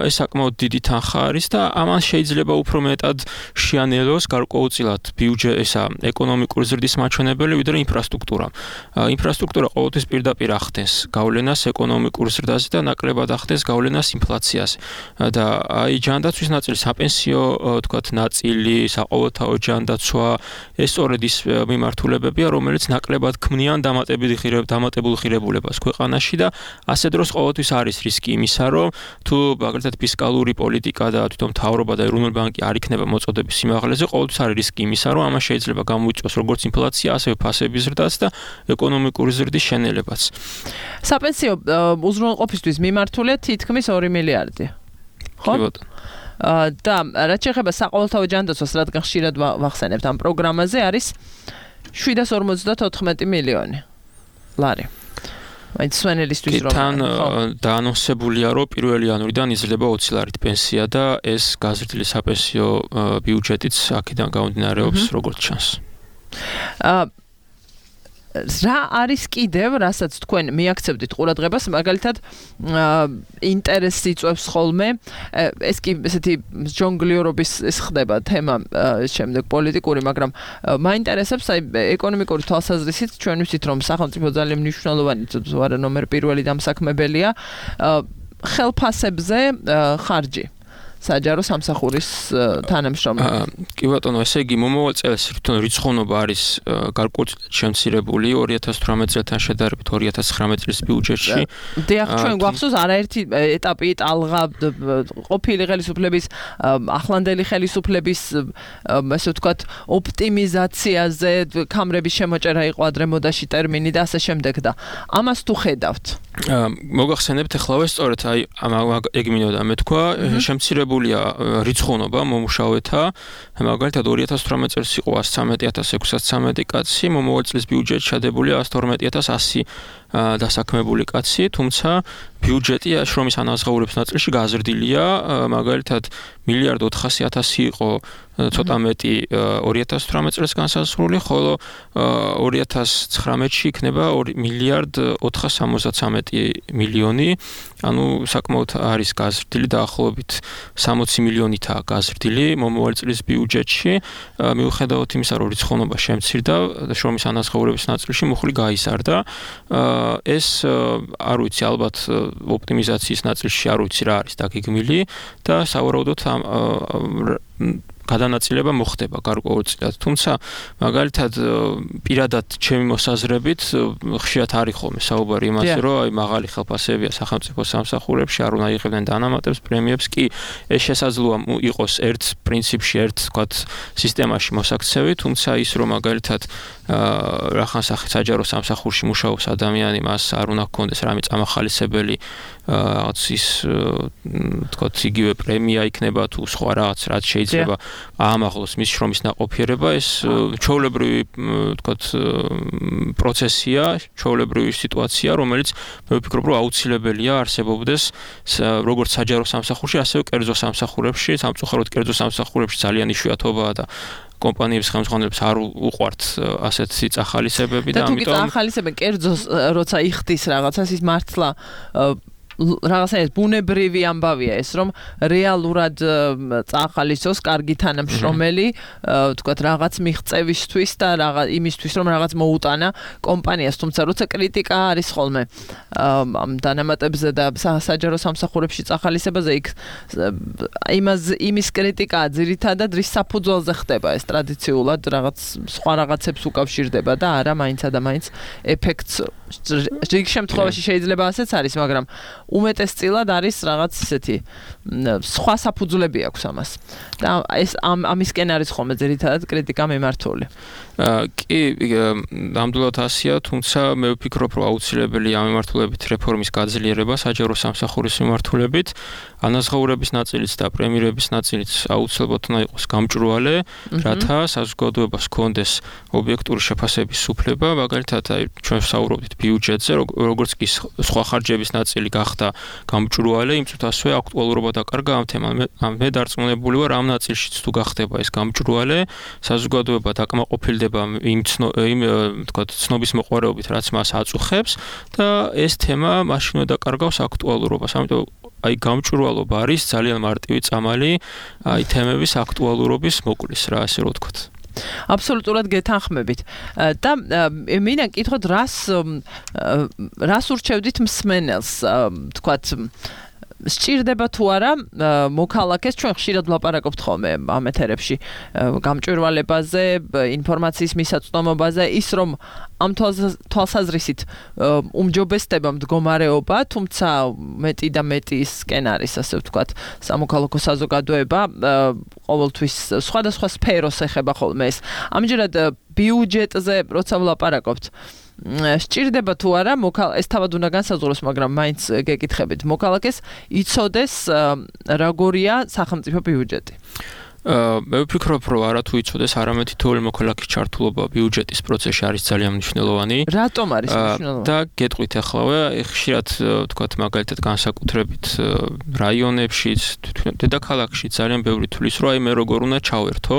ეს საკმაოდ დიდი თანხა არის და ამან შეიძლება უფრო მეტად შეანელოს გარკვეულწილად ბიუჯეტისა ეკონომიკური ზრდის მაჩვენებელი, ვიდრე ინფრასტრუქტურა. ინფრასტრუქტურა ყოველთვის პირდაპირ ახდენს გავლენას ეკონომიკურ ზრდაზე და ნაკლებად ახდენს გავლენას ინფლაციაზე. და აი ჯანდაცვის ნაწილი, საპენსიო, თქვათ, ნაწილი, საყოველთაო ჯანდაცვა, ეს სწორედ ის მიმართულებებია, რომელიც ნაკლებად ქმნიან ძალიან დამატებულ ღირებულებას ქვეყანაში და ასე დროს ყოველთვის არის რისკი იმისა, რომ თუ მაგალითად ფისკალური პოლიტიკა და თვითონ მთავრობა და ეროვნული ბანკი არ იქნება მოწოდების სიმაღლეზე, ყოველთვის არის რისკი იმისა, რომ ამას შეიძლება გამოიწვიოს როგორც ინფლაცია, ასევე ფასების ზრდაც და ეკონომიკური ზრდის შენელებაც. საპენსიო უზრუნველყოფისთვის მიმართულია თითქმის 2 მილიარდი. ხო? კი ბატონო. და რაც შეეხება საყოველთაო ჯანდაცვას, რადგან ხშირად ვახსენებთ ამ პროგრამაზე, არის 754 მილიონი ლარი. მაინც სვენელისთვის რომ თან დაანონსებულია, რომ 1 იანვრიდან იზრდება 20 ლარით პენსია და ეს გაზრდილი საპენსიო ბიუჯეტიც აქედან გამომდინარეობს, როგორც ჩანს. რა არის კიდევ, რასაც თქვენ მიაქცევდით ყურადღებას, მაგალითად ინტერესი იწვევს ხოლმე, ეს კი ესეთი ჯონგლიორობის ეს ხდება თემა შემდეგ პოლიტიკური, მაგრამ მაინტერესებს აი ეკონომიკური თვალსაზრისით ჩვენ ვიცით რომ სახელმწიფო ძალიან მნიშვნელოვანი არა ნომერ პირველი დამსაქმებელია ხელფასებზე ხარჯი საჯარო სამსახურის თანამშრომლები. კი ბატონო, ესე იგი მომავალ წელს თვითონ რიცხოვნობა არის გარკვეულად შემცირებული 2018 წელთან შედარებით 2019 წლის ბიუჯეტში. დიახ, ჩვენ გვახსოვს არაერთი ეტაპი ტალღა ყოფილი ხელისუფლების ახლანდელი ხელისუფლების ასე ვთქვათ ოპტიმიზაციაზე კამრების შემოჭერა იყო ადრემოდაში ტერმინი და ასე შემდეგ და ამას თუ ხედავთ. მოგახსენებთ ახლავე სწორედ აი ეგ მინდოდა მეთქვა შემცირებულია რიცხოვნობა მომუშავეთა მაგალითად 2018 წელს იყო 113,613 კაცი მომავალ წლის ბიუჯეტში ჩადებულია 112,100 დასაქმებული კაცი თუმცა ბიუჯეტი შრომის ანაზღაურების ნაწილში გაზრდილია მაგალითად 1,400,000 იყო ცოტა მეტი 2018 წელს განსაზღვრული, ხოლო 2019-ში იქნება 2,473,000,000, ანუ საკმაოდ არის გაზრდილი დაახლოებით 60 მილიონითაა გაზრდილი მომავალ წლის ბიუჯეტში, მიუხედავად იმისა, რომ რიცხოვნობა შემცირდა, შრომის ანაზღაურების ნაწილში მუხლი გაიზარდა. ეს არ ვიცი, ალბათ ოპტიმიზაციის ნაწილში არ ვიცი რა არის დაგეგმილი და სავარაუდოდ გადანაწილება მოხდება გარკვეულწილად. თუმცა მაგალითად პირადად ჩემი მოსაზრებით ხშირად არის ხოლმე საუბარი იმაზე, რომ აი მაღალი ხელფასებია სახელმწიფო სამსახურებში, არ უნდა იღებდნენ დანამატებს, პრემიებს კი ეს შესაძლოა იყოს ერთ პრინციპში, ერთ თქვათ სისტემაში მოსაქცევი, თუმცა ის რომ მაგალითად რახან საჯარო სამსახურში მუშაობს ადამიანი, მას არ უნდა ჰქონდეს რამე წამახალისებელი რაღაც ის თქვათ იგივე პრემია იქნება თუ სხვა რაღაც რაც შეიძლება აამაღლოს მის შრომის ნაყოფიერება, ეს ჩვეულებრივი თქვათ პროცესია, ჩვეულებრივი სიტუაცია, რომელიც მე ვფიქრობ, რომ აუცილებელია არსებობდეს როგორც საჯარო სამსახურში, ასევე კერძო სამსახურებში, სამწუხაროდ კერძო სამსახურებში ძალიან იშვიათობაა და კომპანიების ხელმძღვანელებს არ უყვართ ასეთი წახალისებები და ამიტომ თუ წახალისებენ კერძოს როცა იხდის რაღაცას ის მართლა რაღაცა ბუნებრივი ამბავია ეს რომ რეალურად წახალისოს კარგი თანამშრომელი თქვათ რაღაც მიღწევისთვის და რაღაც იმისთვის რომ რაღაც მოუტანა კომპანიას თუმცა როცა კრიტიკა არის ხოლმე ამ დანამატებზე და საჯარო სამსახურებში წახალისებაზე იქ იმის კრიტიკაა ძირითადად რის საფუძველზე ხდება ეს ტრადიციულად რაღაც სხვა რაღაცებს უკავშირდება და არა მაინცა და მაინც ეფექტს რიგ შემთხვევაში შეიძლება ასეც არის მაგრამ უმეტესწილად არის რაღაც ისეთი სხვა საფუძვლები აქვს ამას და ეს ამისკენ არის ხოლმე ძირითადად კრიტიკა მიმართული. კი, ნამდვილად ასეა, თუმცა მე ვფიქრობ, რომ აუცილებელია ამ მიმართულებით რეფორმის გაძლიერება საჯარო სამსახურის მიმართულებით, ანაზღაურების ნაწილიც და პრემიერების ნაწილიც აუცილებლად უნდა იყოს გამჭვირვალე, რათა საზოგადოებას ჰქონდეს ობიექტური შეფასების უფლება, მაგალითად, ჩვენ ვსაუბრობთ ბიუჯეტზე, როგორც კი სხვა ხარჯების ნაწილი გახდა გამჭვირვალე, იმ წუთს ასევე აქტუალურობა დაკარგა ამ თემამ. მე დარწმუნებული ვარ, ამ ნაწილშიც თუ გახდება ეს გამჭვირვალე, საზოგადოება დაკმაყოფილდება იმ თქვათ ცნობის მოყვარეობით, რაც მას აწუხებს და ეს თემა მაშინ უნდა დაკარგავს აქტუალურობას. ამიტომ აი გამჭვირვალობა არის ძალიან მარტივი წამალი აი თემების აქტუალურობის მოკვლის რა ასე რომ ვთქვათ. აბსოლუტურად გეთანხმებით. და მინდა გკითხოთ რას ურჩევდით მსმენელს, თქვათ სჭირდება თუ არა მოქალაქეს ჩვენ ხშირად ვლაპარაკობთ ხოლმე ამ ეთერებში გამჭვირვალებაზე, ინფორმაციის მისაწვდომობაზე, ის რომ ამ თვალსაზრისით უმჯობესდება მდგომარეობა, თუმცა მეტი და მეტი ისკენ არის, ასე ვთქვათ, სამოქალაქო საზოგადოება ყოველთვის სხვადასხვა სფეროს ეხება ხოლმე ეს. ამჯერად ბიუჯეტზე როცა ვლაპარაკობთ, სჭირდება თუ არა ეს თავად უნდა განსაზღვროს, მაგრამ მაინც გეკითხებით, მოქალაქეს იცოდეს როგორია სახელმწიფო ბიუჯეტი. მე ვფიქრობ, რომ არათუ იცოდეს, არამედ თითოეული მოქალაქის ჩართულობა ბიუჯეტის პროცესში არის ძალიან მნიშვნელოვანი. რატომ არის მნიშვნელოვანი? და გეტყვით ახლა, ხშირად ვთქვათ, მაგალითად განსაკუთრებით რაიონებში, დედაქალაქში ძალიან ბევრი თulis, რომ აი მე როგორ უნდა ჩავერთო.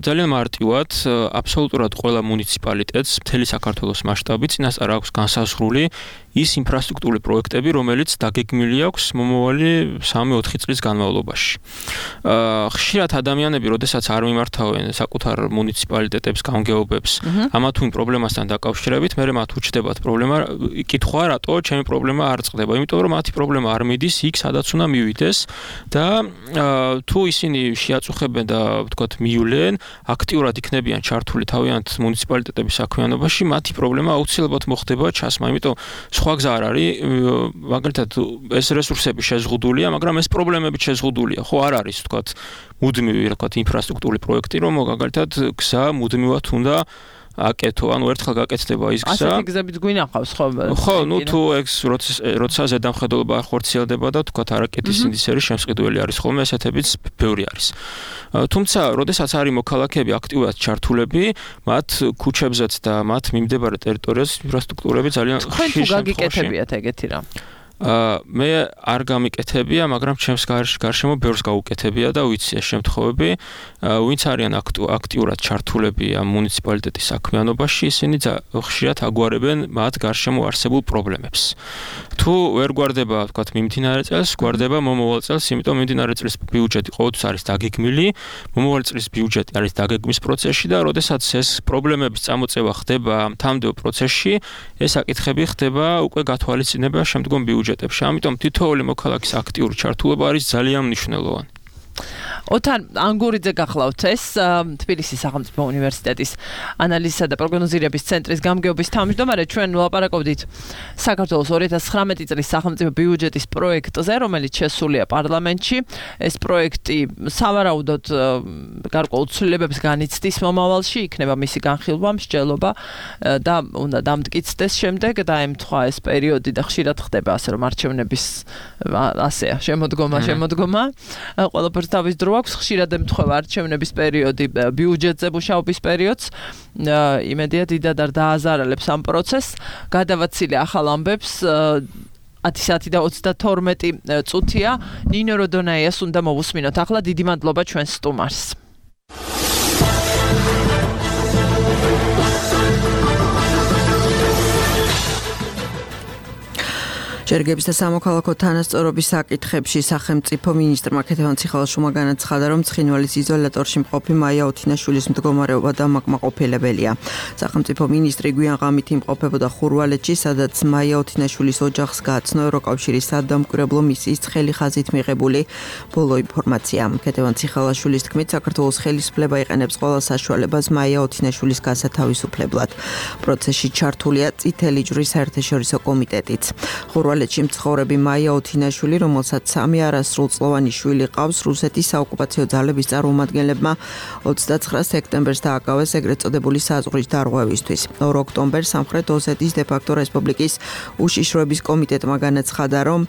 ძალიან მარტივად, აბსოლუტურად ყველა მუნიციპალიტეტს მთელი საქართველოს მასშტაბით წინასწარ აქვს განსაზღვრული ის ინფრასტრუქტურული პროექტები, რომელიც დაგეგმილი აქვს მომავალი 3-4 წლის განმავლობაში. ხშირად ადამიანები, როდესაც არ მიმართავენ საკუთარ მუნიციპალიტეტებს, გამგეობებს, ამა თუ იმ პრობლემასთან დაკავშირებით, მე მათ უჩნდებათ პრობლემა, კითხვა, რატო ჩემი პრობლემა არ წყდება? იმიტომ რომ მათი პრობლემა არ მიდის იქ, სადაც უნდა მივიდეს და თუ ისინი შეაწუხებენ და ვთქვათ, მიულენ, აქტიურად იქნებიან ჩართული თავიანთ მუნიციპალიტეტების საქმიანობაში, მათი პრობლემა აუცილებლად მოხდება ჩასმა. იმიტომ სხვა გზა არ არის, მაგალითად ეს რესურსები შეზღუდულია, მაგრამ ეს პრობლემები შეზღუდულია. ხო არ არის, ვთქვათ, მუდმივი, ვთქვათ, ინფრასტრუქტურული პროექტი, რომ მაგალითად გზა მუდმივად უნდა აკეთო, ანუ ერთხელ გაკეთდება ის გზა. ასეთი გზებით გვინახავს ხო? ხო, ნუ თუ ეს როცა ზედამხედველობა არ ხორციელდება და ვთქვათ, არაკეთის ინდისერი შემსყიდველი არის ხოლმე, ესეთებიც ბევრი არის. თუმცა, როდესაც არის მოქალაქეები აქტიურად ჩართულები, მათ ქუჩებზეც და მათ მიმდებარე ტერიტორიაზე ინფრასტრუქტურები ძალიან ხშირ შემთხვევაში. თქვენ თუ გაგიკეთებიათ ეგეთი რამ? მე არ გამიკეთებია, მაგრამ ჩემს გარშემო ბევრს გაუკეთებია და ვიცი ეს შემთხვევები, ვინც არიან აქტიურად ჩართულები ამ მუნიციპალიტეტის საქმიანობაში, ისინი ხშირად აგვარებენ მათ გარშემო არსებულ პრობლემებს. თუ ვერ გვარდება, ვთქვათ, მიმდინარე წელს, გვარდება მომავალ წელს, იმიტომ მიმდინარე წლის ბიუჯეტი ყოველთვის არის დაგეგმილი, მომავალი წლის ბიუჯეტი არის დაგეგმვის პროცესში და როდესაც ეს პრობლემების წამოწევა ხდება მთამდეო პროცესში, ეს საკითხები ხდება უკვე გათვალისწინება შემდგომ ბიუჯეტებში. ამიტომ თითოეული მოქალაქის აქტიური ჩართულობა არის ძალიან მნიშვნელოვანი. ოთარ ანგურიძე გახლავთ ეს თბილისის სახელმწიფო უნივერსიტეტის ანალიზისა და პროგნოზირების ცენტრის გამგეობის თავმჯდომარე. ჩვენ ვლაპარაკობდით საქართველოს 2019 წლის სახელმწიფო ბიუჯეტის პროექტზე, რომელიც შესულია პარლამენტში. ეს პროექტი სავარაუდოდ გარკვეულ ცვლილებებს განიცდის მომავალში, იქნება მისი განხილვა, მსჯელობა და უნდა დამტკიცდეს შემდეგ და ემთხვა ეს პერიოდი და ხშირად ხდება ასე რომ არჩევნების ასეა შემოდგომა. ყველაფერს თავის დრო აქვს, ხშირად ემთხვევა არჩევნების პერიოდი ბიუჯეტზე მუშაობის პერიოდს. იმედია დიდად არ დააზარალებს ამ პროცესს. გადავაცილე ახალ ამბებს 10 საათი და 32 წუთია. ნინო როდონაიას უნდა მოვუსმინოთ. ახლა დიდი მადლობა ჩვენს სტუმარს. ჯერგების და სამოქალაქო თანასწორობის საკითხებში სახელმწიფო მინისტრმა ქეთევან ციხალაშვილმა განაცხადა, რომ ცხინვალის იზოლატორში მყოფი მაია ოთინაშვილის მდგომარეობა დამაკმაყოფილებელია. სახელმწიფო მინისტრი გვიან ღამით იმყოფებოდა ხურვალეთში, სადაც მაია ოთინაშვილის ოჯახს გააცნო ევროკავშირის სადამკვირვებლო მისიის ცხელი ხაზით მიღებული ბოლო ინფორმაცია. ქეთევან ციხალაშვილის თქმით, საქართველოს ხელისუფლება იყენებს ყველა საშუალებას მაია ოთინაშვილის გასათავისუფლებლად. პროცესში ჩართულია წითელი ჯვრის საერთაშორისო კომიტეტიც. ხურვალეთში მცხოვრები მაია ოთინაშვილი, რომელსაც 3 არასრულწლოვანი შვილი ყავს, რუსეთის საოკუპაციო ძალების წარმომადგენლებმა 29 სექტემბერს დააკავეს ეგრეთ წოდებული საზღვრის დარღვევისთვის. 2 ოქტომბერს სამხრეთ ოსეთის დე-ფაქტო რესპუბლიკის უშიშროების კომიტეტმა განაცხადა, რომ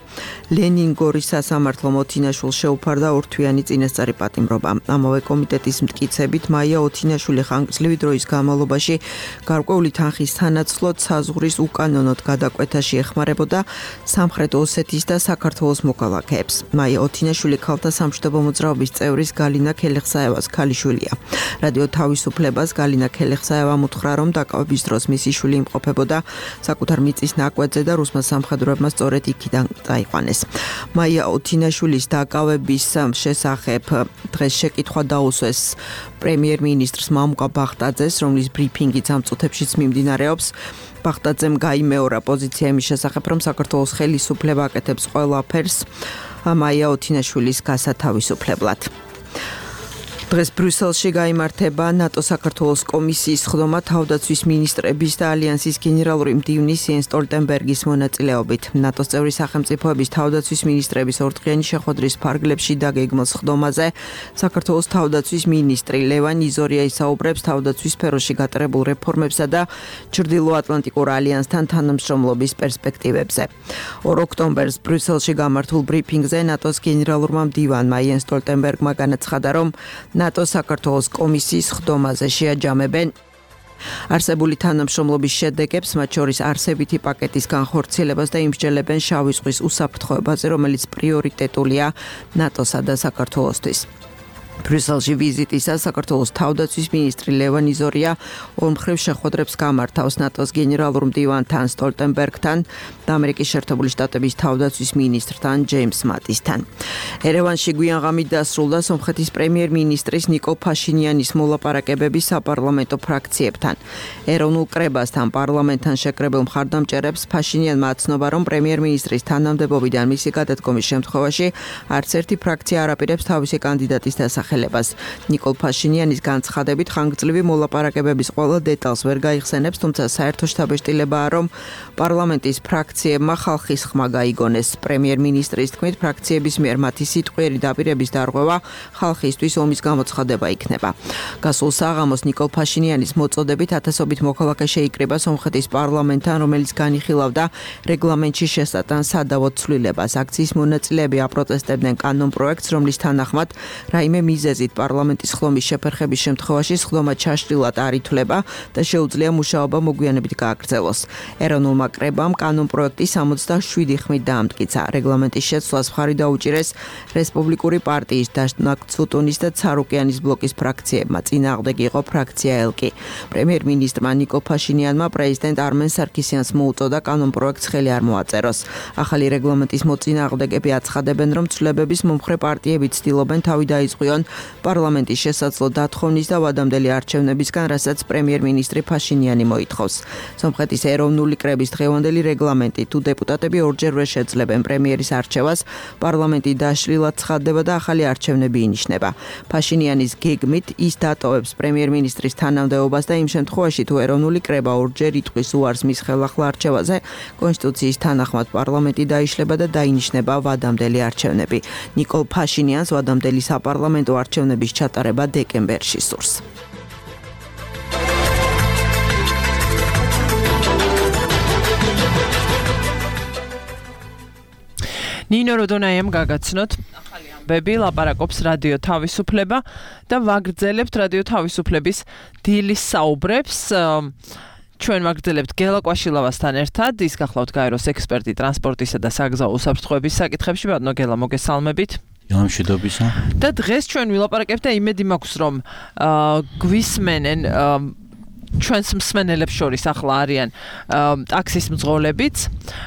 ლენინგორის სასამართლომ ოთინაშვილს შეუფარდა ორთვიანი წინასწარი პატიმრობა. ამავე კომიტეტის მტკიცებით, მაია ოთინაშვილი ხანგრძლივი დროის განმავლობაში გარკვეული თანხის თანაცვლოდ საზღვრის უკანონოდ გადაკვეთაში ეხმარებოდა სამხრეთ ოსეთის და საქართველოს მოქალაქეებს. მაია ოთინაშვილი ქალთა სამშვიდობო მოძრაობის წევრის გალინა ქელეხსაევას ქალიშვილია. რადიო თავისუფლებას გალინა ქელეხსაევამ უთხრა, რომ დაკავების დროს მისი შვილი იმყოფებოდა საკუთარ მიწის ნაკვეთზე და რუსმა სამხედროებმა სწორედ იქიდან წაიყვანეს. მაია ოთინაშვილის დაკავების შესახებ დღეს შეკითხვა დაუსვეს პრემიერ-მინისტრს მამუკა ბახტაძეს, რომლის ბრიფინგიც ამ წუთებშიც მიმდინარეობს. ბახტაძემ გაიმეორა პოზიცია იმის შესახებ, რომ საქართველოს საქართველოს ხელისუფლება აკეთებს ყველაფერს მაია ოთინაშვილის გასათავისუფლებლად. დღეს ბრიუსელში გაიმართება ნატო-საქართველოს კომისიის ხდომა თავდაცვის მინისტრების და ალიანსის გენერალური მდივნის იენს სტოლტენბერგის მონაწილეობით. ნატოს წევრი სახელმწიფოების თავდაცვის მინისტრების ორდღიანი შეხვედრის ფარგლებში დაგეგმილ ხდომაზე საქართველოს თავდაცვის მინისტრი ლევან იზორია ისაუბრებს თავდაცვის სფეროში გატარებულ რეფორმებსა და ჩრდილოატლანტიკურ ალიანსთან თანამშრომლობის პერსპექტივებზე. 2 ოქტომბერს ბრიუსელში გამართულ ბრიფინგზე ნატოს გენერალურმა მდივანმა იენს სტოლტენბერგმა განაცხადა, რომ ნატო-საქართველოს კომისიის ხდომაზე შეაჯამებენ არსებული თანამშრომლობის შედეგებს, მათ შორის არსებითი პაკეტის განხორციელებას და იმსჯელებენ შავი ზღვის უსაფრთხოებაზე, რომელიც პრიორიტეტულია ნატოსა და საქართველოსთვის. ბრიუსელში ვიზიტისას საქართველოს თავდაცვის მინისტრი ლევან იზორია ორმხრივ შეხვედრებს გამართავს ნატოს გენერალურ მდივანთან სტოლტენბერგთან და ამერიკის შეერთებული შტატების თავდაცვის მინისტრთან ჯეიმს მატისთან. ერევანში გვიან ღამით დასრულდა სომხეთის პრემიერ-მინისტრის ნიკოლ ფაშინიანის მოლაპარაკებები საპარლამენტო ფრაქციებთან. ეროვნულ კრებასთან პარლამენტთან შეკრებილ მხარდამჭერებს ფაშინიანმა აცნობა, რომ პრემიერ-მინისტრის თანამდებობიდან მისი გადადგომის შემთხვევაში არც ერთი ფრაქცია არ აპირებს თავისი კანდიდატის დასახელებას. ნიკოლ ფაშინიანის განცხადებით ხანგრძლივი მოლაპარაკებების ყველა დეტალს ვერ გაიხსენებს, თუმცა საერთო შთაბეჭდილებაა, რომ პარლამენტის ფრაქციებმა ხალხის ხმა გაიგონეს. პრემიერ-მინისტრის თქმით, ფრაქციების მიერ მათი სიტყვიერი დაპირების დარღვევა ხალხისთვის ომის გამოცხადება იქნება. გასულ საღამოს ნიკოლ ფაშინიანის მოწოდებით ათასობით მოქალაქე შეიკრიბა სომხეთის პარლამენტთან, რომელიც განიხილავდა რეგლამენტში შესატან სადავო ცვლილებას. აქციის მონაწილეები აპროტესტებდნენ კანონპროექტს, რომლის თანახმად რაიმე მიზეზით პარლამენტის ხლომის შეფერხების შემთხვევაში სხდომა ჩაშლილად არ ითვლება და შეუძლია მუშაობა მოგვიანებით გააგრძელოს. ეროვნულმა კრებამ კანონპროექტი 67 ხმით დაამტკიცა. რეგლამენტის შეცვლას მხარი დაუჭირეს რესპუბლიკური პარტიის დაშნაკცუტუნის და ცარუკიანის ბლოკის ფრაქციებმა. წინააღმდეგ იყო ფრაქცია ელკი. პრემიერ-მინისტრმა ნიკოლ ფაშინიანმა პრეზიდენტ არმენ სარქისიანს მოუწოდა კანონპროექტს ხელი არ მოაწეროს. ახალი რეგლამენტის მოწინააღმდეგები აცხადებენ, რომ ცვლილებების მომხრე პარტიები ცდილობენ თავი დაიწყონ პარლამენტის შესაძლო დათხოვნის და ვადამდელი არჩევნებისგან, რასაც პრემიერ-მინისტრი ფაშინიანი მოითხოვს. სომხეთის ეროვნული კრების დღევანდელი რეგლამენტი, თუ დეპუტატები ორჯერ ვერ შეძლებენ პრემიერის არჩევას, პარლამენტი დაშლილად ცხადდება და ახალი არჩევნები ინიშნება. ფაშინიანის გეგმით ის დატოვებს პრემიერ-მინისტრის თანამდებობას და იმ შემთხვევაში, თუ ეროვნული კრება ორჯერ იტყვის უარს მის ხელახლა არჩევაზე, კონსტიტუციის თანახმად პარლამენტი დაიშლება და დაინიშნება ვადამდელი არჩევნები. ნიკოლ ფაშინიანს ვადამდელი საპარლამენტო არჩევნების ჩატარება დეკემბერში სურს. ნინო როდონაიამ გაგაცნოთ ახალი ამბები, ლაპარაკობს რადიო თავისუფლება და ვაგრძელებთ რადიო თავისუფლების დილის საუბრებს. ჩვენ ვაგრძელებთ გელა კვაშილავასთან ერთად, ის გახლავთ გაეროს ექსპერტი ტრანსპორტისა და საგზაო უსაფრთხოების საკითხებში. ბატონო გელა, მოგესალმებით. მშვიდობისა. და დღეს ჩვენ ვილაპარაკებთ და იმედი მაქვს, რომ გვისმენენ ჩვენს მსმენელებს შორის ახლა არიან ტაქსის მძღოლებიც,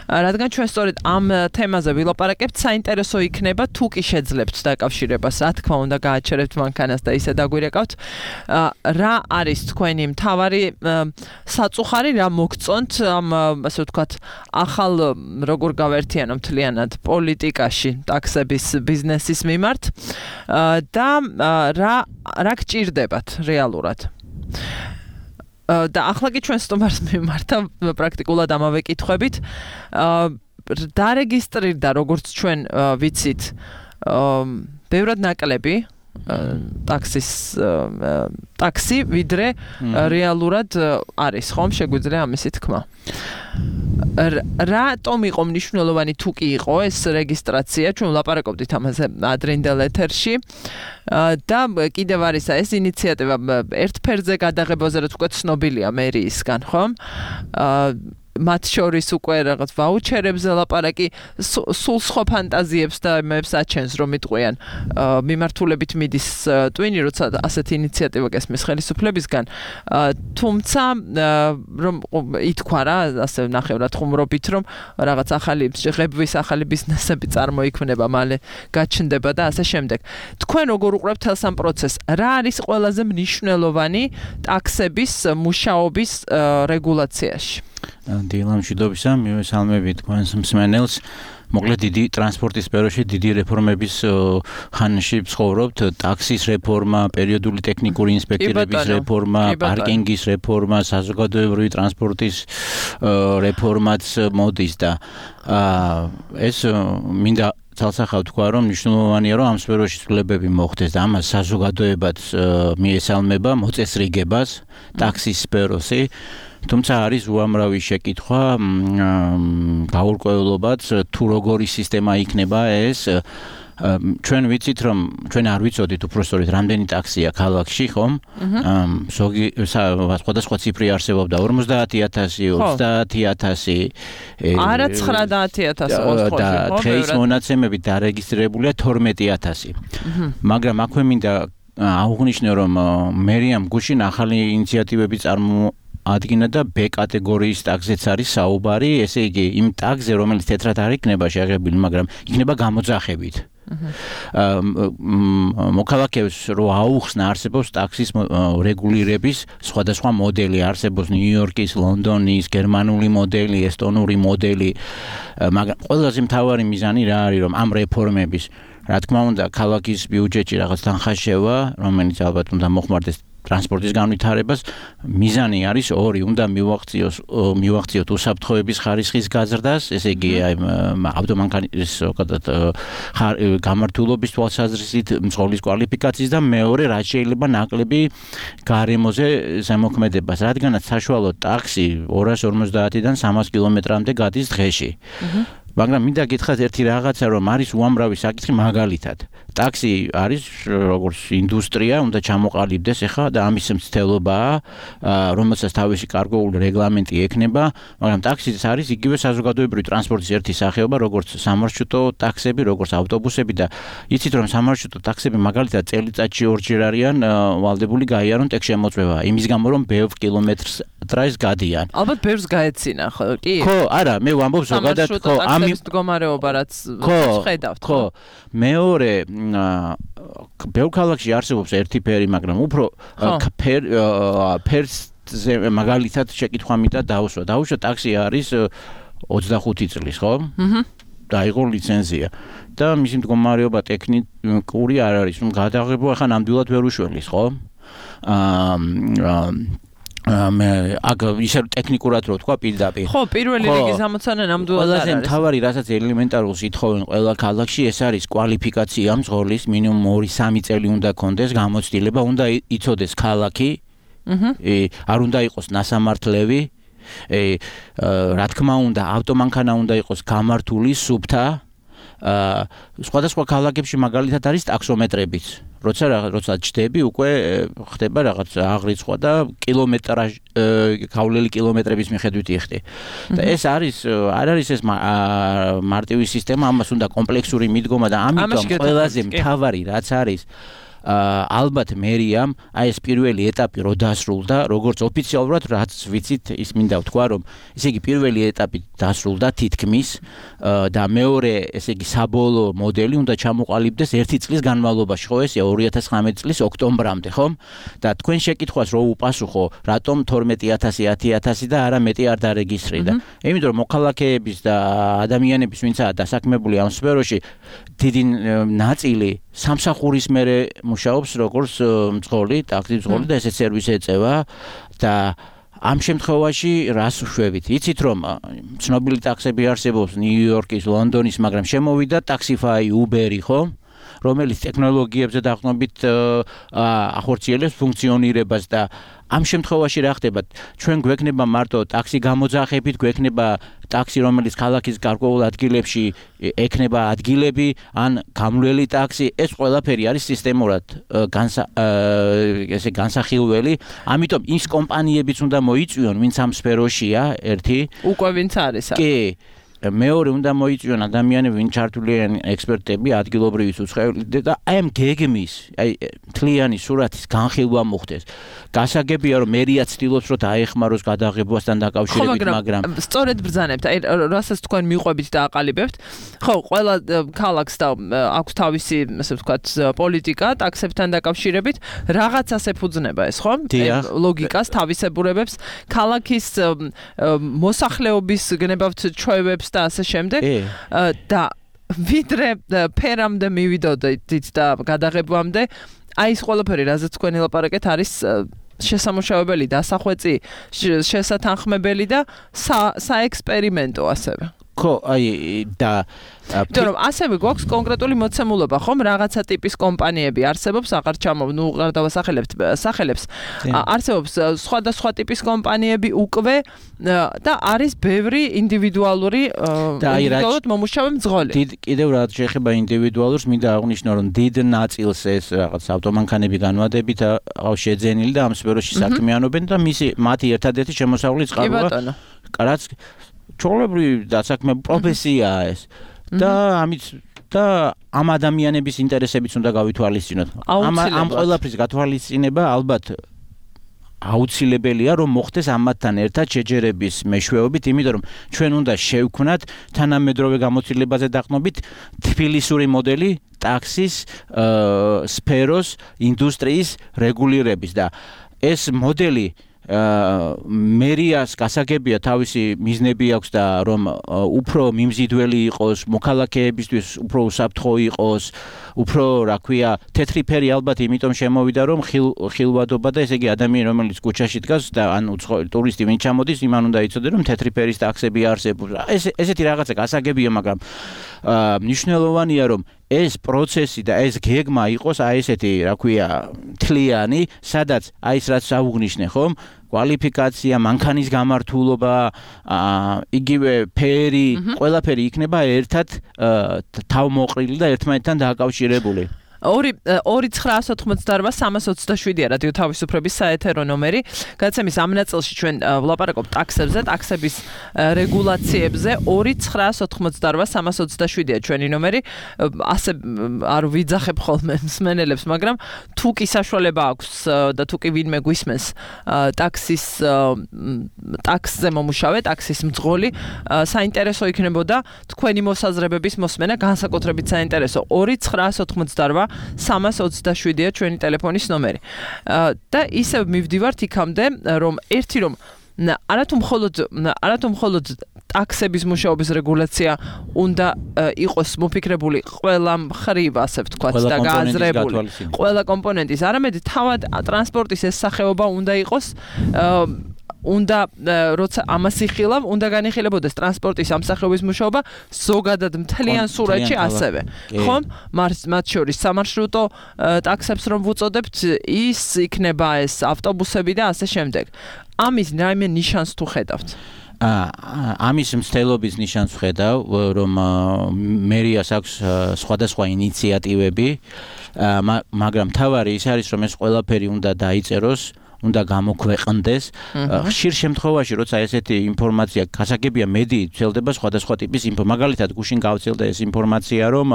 რადგან ჩვენ სწორედ ამ თემაზე ვილაპარაკებთ, საინტერესო იქნება თუ კი შეძლებთ დაკავშირებას, რა თქმა უნდა გააჩერებთ მანქანას და ისე დაგვირეკავთ, რა არის თქვენი მთავარი საწუხარი, რა მოგწონთ ამ ასე ვთქვათ ახალ როგორ გავერთიანო მთლიანად პოლიტიკაში ტაქსების ბიზნესის მიმართ და რა გჭირდებათ რეალურად. და ახლა კი ჩვენ სტუმარს მიმართა პრაქტიკულად ამავე კითხვებით. დარეგისტრირდა, როგორც ჩვენ ვიცით, ბევრად ნაკლები ტაქსი, ვიდრე რეალურად არის, ხომ? შეგვიძლია ამისი თქმა. რატომ იყო მნიშვნელოვანი თუ კი იყო ეს რეგისტრაცია? ჩვენ ვლაპარაკობდით ამაზე ადრინდელ ეთერში. და კიდევ არის ეს ინიციატივა ერთ ფერზე გადაღებაზე, რაც უკვე ცნობილია მერიისგან, ხომ? მათ შორის უკვე რაღაც ვაუჩერებზე ლაპარაკი, სულ სხვა ფანტაზიებს და იმებს აჩენს, რომ იტყვიან მიმართულებით მიდის ტვინი, როცა ასეთი ინიციატივა გესმის ხელისუფლებისგან. თუმცა რომ ითქვა რა, ასე ნახევრად ხუმრობით, რომ რაღაც ახალი ღებვის ახალი ბიზნესები წარმოიქმნება, მალე გაჩნდება და ასე შემდეგ. თქვენ როგორ უყურებთ თელს ამ პროცესს? რა არის ყველაზე მნიშვნელოვანი ტაქსების მუშაობის რეგულაციაში? დილამ მშვიდობისა, მივესალმები თქვენს მსმენელს. მოკლედ დიდი ტრანსპორტის სფეროში დიდი რეფორმების ხანაში ვცხოვრობთ. ტაქსის რეფორმა, პერიოდული ტექნიკური ინსპექტორების რეფორმა, პარკინგის რეფორმა, საზოგადოებრივი ტრანსპორტის რეფორმაც მოდის და ეს მინდა ცალსახავ თქვა, რომ მნიშვნელოვანია, რომ ამ სფეროში ცვლილებები მოხდეს და ამას საზოგადოებაც მიესალმება მოწესრიგებას ტაქსის სფეროში. თუმცა არის უამრავი შეკითხვა, გაურკვევლობაც, თუ როგორი სისტემა იქნება ეს. ჩვენ ვიცით, რომ ჩვენ არ ვიცოდით უпростоრით რამდენი ტაქსია ქალაქში, ხომ? სხვადასხვა ციფრი არსებობდა 50,000, 30,000. არა 90,000 ოთხოში, და დღეს მონაცემებით დარეგისტრირებულია 12,000. მაგრამ აქვე მინდა აღვნიშნო, რომ მერიამ გუშინ ახალი ინიციატივები ადგინა და B კატეგორიის ტაქსზეც არის საუბარი, ესე იგი იმ ტაქსზე, რომელიც თეთრად არ იქნება შეღებილი, მაგრამ იქნება გამოძახებით. მოქალაქეებს რო აუხსნა არსებობს ტაქსის რეგულირების სხვადასხვა მოდელი, არსებობს ნიუ-იორკის, ლონდონის, გერმანული მოდელი, ესტონური მოდელი, მაგრამ ყველაზე მთავარი მიზანი რა არის, რომ ამ რეფორმების, რა თქმა უნდა, ქალაქის ბიუჯეტში რაღაც თანხა შევა, რომელიც ალბათ უნდა მოხმარდეს ტრანსპორტის განვითარებას, მიზანი არის ორი, უნდა მივაღწიოთ უსაფრთხოების ხარისხის გაზრდას, ესე იგი ავტომანქანის გამართულობის თვალსაზრისით მძღოლის კვალიფიკაციის და მეორე, რაც შეიძლება ნაკლები გარემოზე ზემოქმედებას, რადგანაც საშუალო ტაქსი 250-დან 300 კილომეტრამდე გადის დღეში. მაგრამ მინდა გითხრათ ერთი რაღაცა, რომ არის უამრავი საკითხი მაგალითად. ტაქსი არის როგორც ინდუსტრია, უნდა ჩამოყალიბდეს ახლა და ამის მცდელობაა, რომელსაც თავისი გარკვეული რეგლამენტი ექნება, მაგრამ ტაქსიც არის იგივე საზოგადოებრივი ტრანსპორტის ერთი სახეობა, როგორც სამარშრუტო ტაქსები, როგორც ავტობუსები და იცით რომ სამარშრუტო ტაქსები მაგალითად წელიწადში ორჯერ არიან ვალდებული გაიარონ ტექშემოწმება, იმის გამო რომ ბევრ კილომეტრს ტრაის გადიან. ალბათ ბევრს გაეცინა, ხო, კი? ხო, არა, მე ვამბობ ზოგადად, ხო, ამის მდგომარეობა რაც ხედავთ, ხო. მეორე ბევრ ქალაქში არსებობს ერთი ფერი, მაგრამ უფრო ფერზე მაგალითად შეკითხვა მინდა დავუსვა. დავუშვა ტაქსი არის 25 წლის, ხო? დაიღო ლიცენზია. და მისი მდგომარეობა ტექნიკური არ არის, გადაღება ახლა ნამდვილად ვერ უშველის, ხო? აქ ისე ტექნიკურად რო თქვა პირდაპირ. ხო, პირველი რიგის ამოცანა ნამდვილად არ არის. ყველაზე მთავარი, რასაც ელემენტარულს ითხოვენ ყველა ქალაქში, ეს არის კვალიფიკაცია მძღოლის, მინიმუმ 2-3 წელი უნდა კონდეს გამოცდილება, უნდა იცოდეს ქალაქი, არ უნდა იყოს ნასამართლევი, რა თქმა უნდა, ავტომანქანა უნდა იყოს გამართული, სუფთა. სხვადასხვა ქალაქებში მაგალითად არის ტაქსომეტრებიც. როცა ჯდები, უკვე ხდება რაღაც აღრიცხვა და გავლილი კილომეტრების მიხედვით იხდი. და ეს არ არის ეს მარტივი სისტემა, ამას უნდა კომპლექსური მიდგომა და ამიტომ ყველაზე მთავარი რაც არის ალბათ მერიამ ეს პირველი ეტაპი რო დასრულდა, როგორც ოფიციალურად რაც ვიცით, ის მინდა ვთქვა, რომ ესე იგი პირველი ეტაპი დასრულდა თითქმის და მეორე, ესე იგი საბოლოო მოდელი უნდა ჩამოყალიბდეს 1 წლის განმავლობაში, ხო, ესეა 2019 წლის ოქტომბრამდე, ხო? და თქვენ შეკითხვას რო უპასუხო, რატომ 12,000, 10,000 და არა მეტი არ დარეგისტრირდა. იმიტომ რომ მოქალაქეების და ადამიანების, ვინცაა დასაქმებული ამ სფეროში, დიდი ნაწილი სამსახურის მერე მუშაობს როგორც მძღოლი, ტაქსის მძღოლი და ესეც სერვისი ეწევა და ამ შემთხვევაში რას ვშვებით? იცით რომ ცნობილი ტაქსები არსებობს ნიუ-იორკის, ლონდონის, მაგრამ შემოვიდა Taxify, Uber-ი, ხო? რომელიც ტექნოლოგიებზე დაყრდნობით ახორციელებს ფუნქციონირებას და ამ შემთხვევაში რა ხდება? ჩვენ გვექნება მარტო ტაქსი გამოძახებით, გვექნება ტაქსი, რომელიც ქალაქის გარკვეულ ადგილებში ექნება ადგილები, ან გამვლელი ტაქსი, ეს ყველაფერი არის სისტემურად განსახილველი, ამიტომ ის კომპანიებიც უნდა მოიწვიონ, ვინც ამ სფეროშია, ერთი. უკვე ვინც არის. კი. მეორე უნდა მოიწვიონ ადამიანები, ვინ ჩართულიან ექსპერტები, ადგილობრივი უცხოელი და აი ამ გეგმის, აი თლიანი სურათის განხილვა მოხდეს. გასაგებია რომ მერია ცდილობს რომ დაეხმაროს გადაღებასთან დაკავშირებით, მაგრამ სწორედ ბრძანებთ, აი რასაც თქვენ მიყვებით და აყალიბებთ. ხო, ყველა ქალაქს და აქვს თავისი, ასე ვთქვათ, პოლიტიკა ტაქსებთან დაკავშირებით, რაღაცას ეფუძნება ეს, ხო? ლოგიკას, თავისებურებებს, ქალაქის მოსახლეობის გნებავთ ჩვევებს და ასე შემდეგ. და ვიდრე ფერამდე მივიდოდით და გადაღებამდე, აი ეს ყველაფერი, რაზეც თქვენ ელაპარაკეთ, არის შესამუშავებელი, დასახვეწი, შესათანხმებელი და საექსპერიმენტო ასევე. ხო, აი და იმიტომ რომ ასევე გვაქვს კონკრეტული მოცემულობა, ხომ, რაღაცა ტიპის კომპანიები არსებობს, აღარ ჩამოვ, აღარ დავასახელებთ სახელებს. არსებობს სხვადასხვა ტიპის კომპანიები უკვე და არის ბევრი ინდივიდუალური ინდივიდუალურად მომუშავე მძღოლი. კიდევ რაც შეეხება ინდივიდუალურს, მინდა აღვნიშნო, რომ დიდ ნაწილს ეს რაღაც ავტომანქანები განვადებით აქვს შეძენილი და ამ სფეროში საქმიანობენ და მათი ერთადერთი შემოსავლის წყაროა. რაც ჩვეულებრივი დასაქმე პროფესიაა ეს. და ამით და ამ ადამიანების ინტერესებიც უნდა გავითვალისწინოთ. ამ ყველაფრის გათვალისწინება ალბათ აუცილებელია, რომ მოხდეს ამათთან ერთად შეჯერების მეშვეობით, იმიტომ რომ ჩვენ უნდა შევქმნათ თანამედროვე გამოცდილებაზე დაყრდნობით თბილისური მოდელი ტაქსის სფეროს ინდუსტრიის რეგულირების და ეს მოდელი მერიას გასაგებია თავისი მიზნები აქვს და რომ უფრო მიმზიდველი იყოს, მოქალაქეებისთვის უფრო უსაფრთხო იყოს, უფრო, რა ქვია, თეთრი ფერი ალბათ იმიტომ შემოვიდა, რომ ხილვადობა და ესე იგი ადამიანი რომელიც კუჩაში დგას და ანუ ტურისტი ვინ ჩამოდის, იმან უნდა იცოდეს, რომ თეთრი ფერის ტაქსები არსებობს. ესეთი რაღაცა გასაგებია, მაგრამ მნიშვნელოვანია, რომ ეს პროცესი და ეს გეგმა იყოს აი ესეთი, რა ქვია, თლიანი, სადაც აი ეს რაც აღვნიშნე, ხომ? კვალიფიკაცია, მანქანის გამართულობა, იგივე ფერი, ყველაფერი იქნება ერთად თავმოყრილი და ერთმანეთთან დაკავშირებული. 2-988-327-ია რადიო თავისუფლების საეთერო ნომერი. გადაცემის ამ ნაწილში ჩვენ ვლაპარაკობთ ტაქსებზე, ტაქსების რეგულაციებზე. 2-988-327-ია ჩვენი ნომერი. ასე არ ვიძახებ ხოლმე მსმენელებს, მაგრამ თუ კი საშუალება აქვს და თუ კი ვინმე გვისმენს ტაქსზე მომუშავე, ტაქსის მძღოლი, საინტერესო იქნებოდა თქვენი მოსაზრებების მოსმენა, განსაკუთრებით საინტერესო. 2-988-327-ია ჩვენი ტელეფონის ნომერი. და ისევ მივდივართ იქამდე, რომ არათუ მხოლოდ ტაქსების მუშაობის რეგულაცია უნდა იყოს მოფიქრებული ყველა მხრივ, ასე ვთქვათ, და გააზრებული ყველა კომპონენტის, არამედ თავად ტრანსპორტის ეს სახეობა უნდა იყოს უნდა როცა ამას იხილავ, უნდა განიხილებოდეს ტრანსპორტის ამსახეობის მუშაობა ზოგადად მთლიან სურათში ასევე. ხომ? მათ შორის სამარშრუტო ტაქსებს რომ ვუწოდებთ, ის იქნება ეს ავტობუსები და ასე შემდეგ. ამის რაიმე ნიშანს თუ ხედავთ? ამის მცდელობის ნიშანს ვხედავ, რომ მერიას აქვს სხვადასხვა ინიციატივები, მაგრამ თავარი ის არის, რომ ეს ყველაფერი უნდა დაიწეროს, უნდა გამოქვეყნდეს. ხშირ შემთხვევაში, როცა ესეთი ინფორმაცია გასაგებია, მედიით ვრცელდება სხვადასხვა ტიპის მაგალითად გუშინ გავცელდა ეს ინფორმაცია, რომ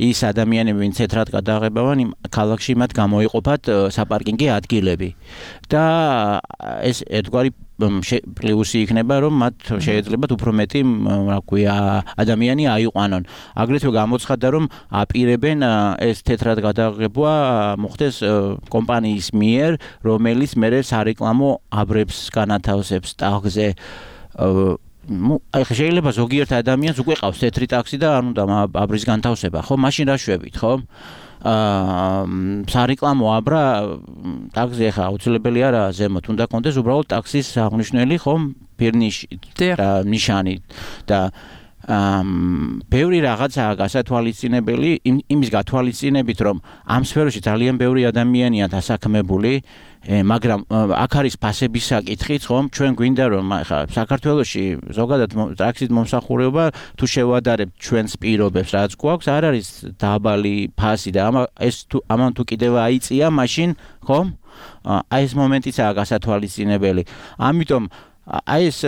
ის ადამიანები, ვინც თეთრად გადაღებავენ, ქალაქში მათ გამოიყოფათ საპარკინგი ადგილები. და ეს ერთგვარი პლუსი იქნება, რომ მათ შეეძლებათ უფრო მეტი, რა ქვია, ადამიანი აიყვანონ. აგრეთვე გამოცხადდა, რომ აპირებენ ეს თეთრად გადაღება მოხდეს კომპანიის მიერ, რომელიც მერე სარეკლამო აბრებს განათავსებს ტაქსზე. აი შეიძლება ზოგიერთ ადამიანს უკვე ყავს თეთრი ტაქსი და არ უნდა აბრის განთავსება, ხო? მაშინ რა შვებით, ხო? სარეკლამო აბრა ტაქსი ახლა აუცილებელი არა ზემოთ უნდა კონდეს უბრალოდ ტაქსის აღნიშნული ხომ ფირნიში და ნიშანი და ბევრი რაღაცაა გასათვალისწინებელი იმის გათვალისწინებით რომ ამ სფეროში ძალიან ბევრი ადამიანია დასაქმებული მაგრამ აქ არის ფასების საკითხიც ხომ ჩვენ გვინდა რომ ახლა საქართველოში ზოგადად ტაქსის მომსახურება თუ შევადარებთ ჩვენს პირობებს რაც გვაქვს არ არის დაბალი ფასი და ამან თუ კიდევ აიწია მაშინ ხომ აი ეს მომენტიცაა გასათვალისწინებელი ამიტომ აი ეს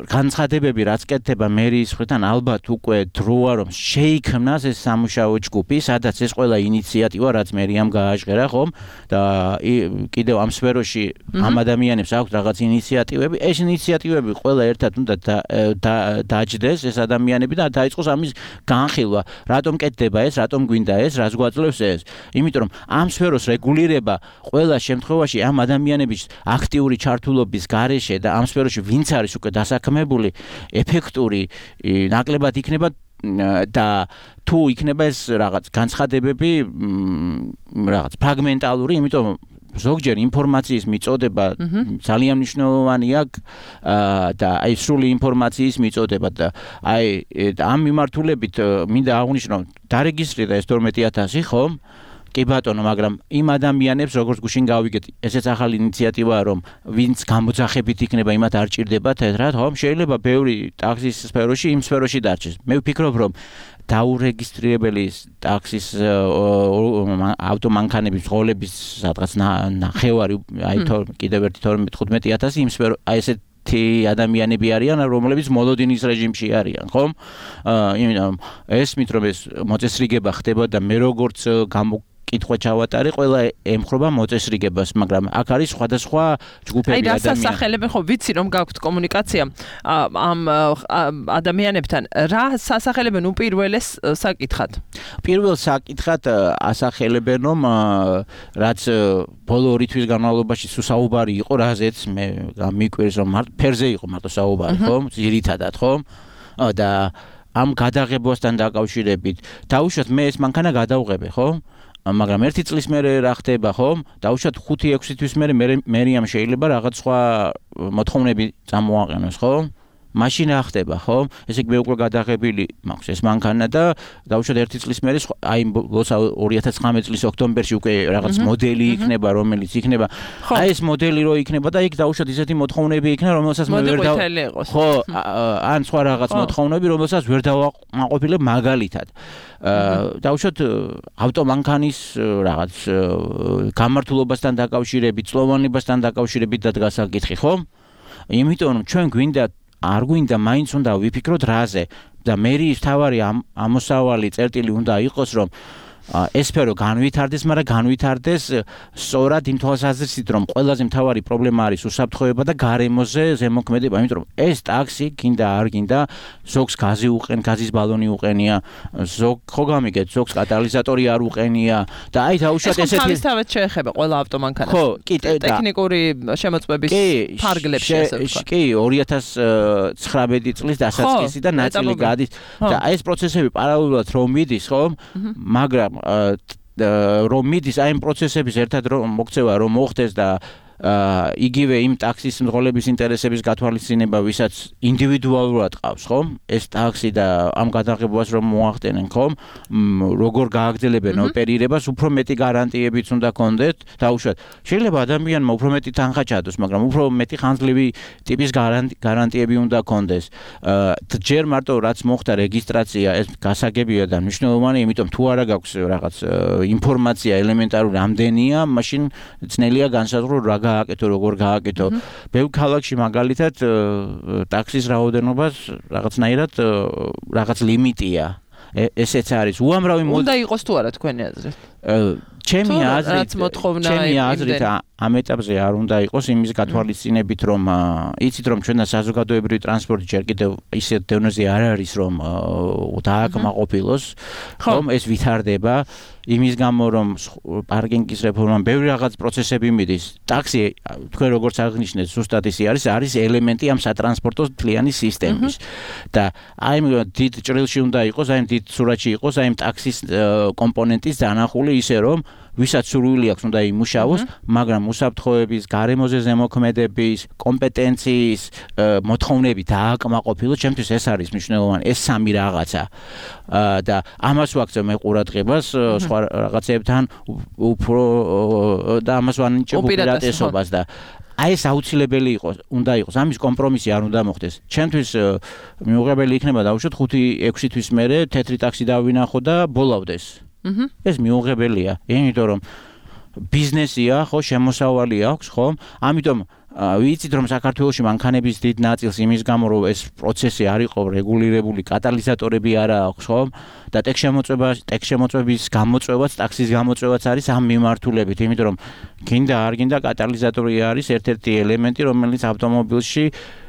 განცხადებები რაც კეთდება მერიის მხრიდან ალბათ უკვე დროა რომ შეიქმნას ეს სამუშაო ჯგუფი, სადაც ეს ყველა ინიციატივა რაც მერიამ გააჟღერა, ხომ? და კიდევ ამ სფეროში ამ ადამიანებს აქვს რაღაც ინიციატივები, ეს ინიციატივები ყველა ერთად უნდა დაჯდეს ეს ადამიანები და დაიწყოს ამის განხილვა. რატომ კეთდება ეს, რატომ გვინდა ეს, რას გვაძლევს ეს? იმიტომ რომ ამ სფეროს რეგულირება ყველა შემთხვევაში ამ ადამიანების აქტიური ჩართულობის გარეშე და ამ სფეროში ვინც არის უკვე დასაქმებული, ეფექტური ნაკლებად იქნება და თუ იქნება ეს რაღაც განცხადებები რაღაც ფრაგმენტალური, იმიტომ ზოგჯერ ინფორმაციის მიწოდება ძალიან მნიშვნელოვანია და აი სრული ინფორმაციის მიწოდება და აი ამ მიმართულებით მინდა აღვნიშნო დარეგისტრირდა ეს 12000 ხომ? კი ბატონო, მაგრამ იმ ადამიანებს როგორც გუშინ გავიგეთ, ესეც ახალი ინიციატივაა, რომ ვინც გამოძახებით იქნება, იმათ არ ჭირდება თეთრად, ხომ? შეიძლება ბევრი ტაქსის სფეროში იმ სფეროში დარჩეს. მე ვფიქრობ, რომ დაურეგისტრირებელი ტაქსის ავტომანქანების ღოლების სადღაც ნახევარი, აი კიდევ ერთი 12-15,000 იმ სფერო, აი ესეთ ადამიანები არიან, რომლებიც მოლოდინის რეჟიმში არიან, ხომ? იმიტომ ესმით რომ ეს მოწესრიგება ხდება და მე როგორც კითხვა ჩავატარე, ყველა ემხრობა მოწესრიგებას, მაგრამ აქ არის სხვადასხვა ჯგუფები ადამიანები. აი, რა სასახელებენ, ხო, ვიცი რომ გაქვთ კომუნიკაცია ამ ადამიანებთან, რა სასახელებენ უპირველეს საკითხად? პირველ საკითხად ასახელებენ, რომ რაც ბოლო 2 თვის განმავლობაში საუბარი იყო, რაზეც მე მიკვირს, რომ ფერზე იყო მარტო საუბარი, ხომ? ძირითადად, ხომ? და ამ გადაღებასთან დაკავშირებით, დაუშვათ მე ეს მანქანა გადავღებე, ხო? მაგრამ 1 წლის მერე რა ხდება, ხომ? დაუშვათ 5-6 თვის მერე მერიამ შეიძლება რაღაც სხვა მოთხოვნები წამოაყენოს, ხო? მაშინ რა ხდება, ხო? ესე იგი მე უკვე გადაღებილი მაქვს ეს მანქანა და დაუშვათ 1 წლის მერე აი 2019 წლის ოქტომბერში უკვე რაღაც მოდელი იქნება, რომელიც იქნება. აი ეს მოდელი რო იქნება და იქ დაუშვათ ისეთი მოთხოვნები იქნება, რომელსაც მე ვერ ხო, ან სხვა რაღაც მოთხოვნები, რომელსაც ვერ დავაყოფილებ მაგალითად. დაუშვათ ავტომანქანის რაღაც გამართულობასთან დაკავშირებით, წლოვანებასთან დაკავშირებით დადგა საკითხი, ხო? იმიტომ რომ ჩვენ არ გვინდა მაინც უნდა ვიფიქროთ რაზე და მერიის თავარი ამოსავალი წერტილი უნდა იყოს რომ ეს სფერო განვითარდეს, მაგრამ განვითარდეს სწორად იმ თვალსაზრისით, რომ ყველაზე მთავარი პრობლემა არის უსაფრთხოება და გარემოზე ზემოქმედება, იმიტომ რომ ეს ტაქსი გინდა არ გინდა, ზოგს გაზი უყენ, გაზის ბალონი უყენია, ზოგ ხო გამიგეთ, ზოგს კატალიზატორი არ უყენია და აი დაუშვათ ესეთი თავისთავად შეეხება ყველა ავტომანქანას. ხო, კი, ტექნიკური შემოწმების ფარგლებში ესე ვთქვა. კი, 2019 წლის დასაწყისი და ნაწილი გადის და აი ეს პროცესები პარალელურად რომ მიდის, ხო? მაგრამ რომ მიდის აი იმ პროცესების ერთად რომ მოქცევა რომ მოხდეს და იგივე იმ ტაქსის მძღოლების ინტერესების გათვალისწინება, ვისაც ინდივიდუალურად ყავს, ხომ? ეს ტაქსი და ამ გადაღებებას რომ მოახდენენ, ხომ? როგორ გააგრძელებენ ოპერირებას, უფრო მეტი გარანტიებიც უნდა კონდეთ, დაუშვათ. შეიძლება ადამიანმა უფრო მეტი თანხა ჩადოს, მაგრამ უფრო მეტი ხანძლივი ტიპის გარანტიები უნდა კონდეს. ჯერ მარტო რაც მოხდა რეგისტრაცია, ეს გასაგებია და მნიშვნელოვანია, იმიტომ თუ არა გაქვს რაღაც ინფორმაცია ელემენტარული ამდენია, მაშინ ძნელია განსაზღვრო რა გააკეთო, როგორ გააკეთო. ბევრ ქალაქში მაგალითად ტაქსის რაოდენობას რაღაცნაირად რაღაც ლიმიტია. ესეც არის. უამრავი უნდა იყოს თუ არა თქვენი აზრით? ჩემი აზრით ამ ეტაპზე არ უნდა იყოს იმის გათვალისწინებით, რომ იცით რომ ჩვენ საზოგადოებრივი ტრანსპორტი ჯერ კიდევ ისეთ დონეზე არ არის, რომ დააკმაყოფილოს, ხომ ეს ვითარდება. იმის გამო რომ პარკინგის რეფორმამ ბევრი რაღაც პროცესები მიდის. ტაქსი თქვენ როგორც აღნიშნეთ, ზუსტად ისე არის ელემენტი ამ სატრანსპორტო მთლიანი სისტემის. და აი დიდ ჭრილში უნდა იყოს, აი დიდ სურათში იყოს, აი ტაქსის კომპონენტის დანახული ისე რომ ვისაც სურვილი აქვს უნდა იმუშაოს, მაგრამ უსაფრთხოების, გარემოზე ზემოქმედების, კომპეტენციის მოთხოვნები დააკმაყოფილოს, ჩემთვის ეს არის მნიშვნელოვანი, ეს სამი რაღაცა. და ამას ვაქცევ მე ყურადღებას სხვა რაღაცებთან უფრო და ამას ვანიჭებ უპირატესობას და აი ეს აუცილებელი უნდა იყოს, ამის კომპრომისი არ უნდა მოხდეს. ჩემთვის მიუღებელი იქნება დაუშვათ 5-6 თვის მერე თეთრი ტაქსი დავინახო და ბოლავდეს. ეს მიუღებელია, იმიტომ რომ ბიზნესია, ხო, შემოსავალი აქვს, ხო? ამიტომ ვიცით რომ საქართველოში მანქანების დიდ ნაწილს იმის გამო რომ ეს პროცესი არ იყო რეგულირებული, კატალიზატორები არა აქვს, ხო? და ტექშემოწმების გამოწვევაც, ტაქსის გამოწვევაც არის ამ მიმართულებით, იმიტომ რომ გინდა არ გინდა კატალიზატორი არის ერთ-ერთი ელემენტი, რომელიც ავტომობილში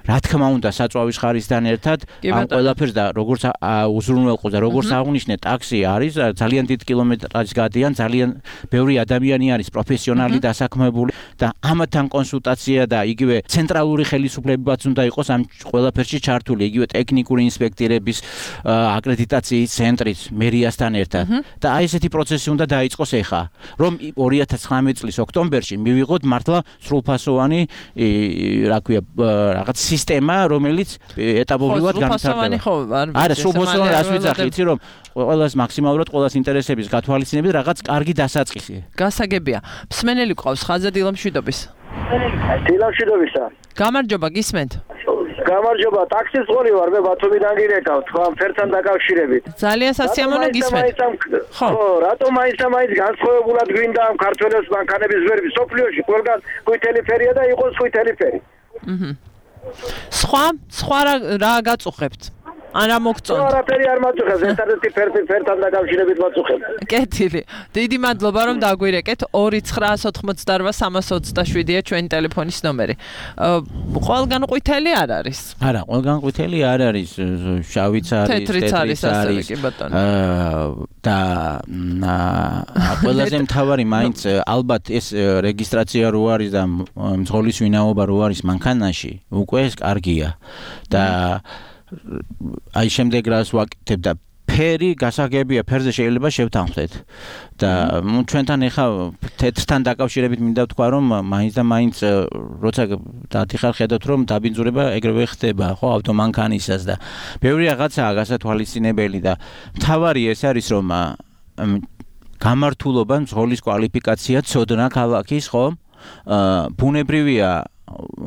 რა თქმა უნდა საწვავის ხარისთან ერთად ამ ყველაფერს და როგორც უზრუნველყოს და როგორც აღნიშნე ტაქსი არის ძალიან დიდ კილომეტრაჟს გადიან, ძალიან ბევრი ადამიანი არის პროფესიონალი დასაქმებული და ამათთან კონსულტაცია და იგივე ცენტრალური ხელისუფლებებიც უნდა იყოს ამ ყველაფერში ჩართული, იგივე ტექნიკური ინსპექტორების აკრედიტაციის ცენტრიც მერიასთან ერთად და აი ესეთი პროცესი უნდა დაიწყოს ახლა, რომ 2019 წლის ოქტომბერში მივიღოთ მართლა სრულფასოვანი რა ქვია რაღაც სისტემა, რომელიც ეტაპობრივად განვითარდება. არა, სრულფასოვანი რას ვიძახი, იცი რომ ყველას მაქსიმალურად ყველას ინტერესების გათვალისწინებით რაღაც კარგი დასაწყისი. გასაგებია. მსმენელი ყავს ხაზზე დილამშვიდობის. დილამშვიდობისა. გამარჯობა, გისმენთ. გამარჯობა, ტაქსის წვარი ვარ, მე ბათუმიდან გირეკავ, თქვა ფერთან დაკავშირებით. ძალიან სასიამოვნო გისმენთ. ხო, რატომ მაინც განსხვავებულად გვინდა ამ ქართველებს მანქანების ვერბი სოფლიოში, ყველგან ყვითელი ფერია და იყოს ყვითელი ფერი. სხვა რა გაწუხებთ? არა მოგწონთ. არაფერი არ მაწუხებს, ერთადერთი ფერთან დაკავშირებით მაწუხებს. კეთილი. დიდი მადლობა რომ დაგვირეკეთ. 2988327-ია ჩვენი ტელეფონის ნომერი. ყველგან ყვითელი არ არის? არა, ყველგან ყვითელი არ არის, შავიც არის, თეთრიც არის. და ყველაზე მთავარი მაინც ალბათ ეს რეგისტრაცია რო არის და მძღოლის ვინაობა რო არის მანქანაში, უკვე ეს კარგია. და აი შემდეგ რას ვაკეთებ და ფერი გასაგებია, ფერზე შეიძლება შევთანხმდეთ და ჩვენთან ეხა თეთრთან დაკავშირებით მინდა ვთქვა რომ მაინც და მაინც როცა დათიხარ ხედავთ რომ დაბინძურება ეგრევე ხდება ხო ავტომანქანისას და ბევრი რაღაცაა გასათვალისწინებელი და მთავარი ეს არის რომ გამართულობა მძღოლის კვალიფიკაცია ცოდნა ქალაქის ხო ბუნებრივია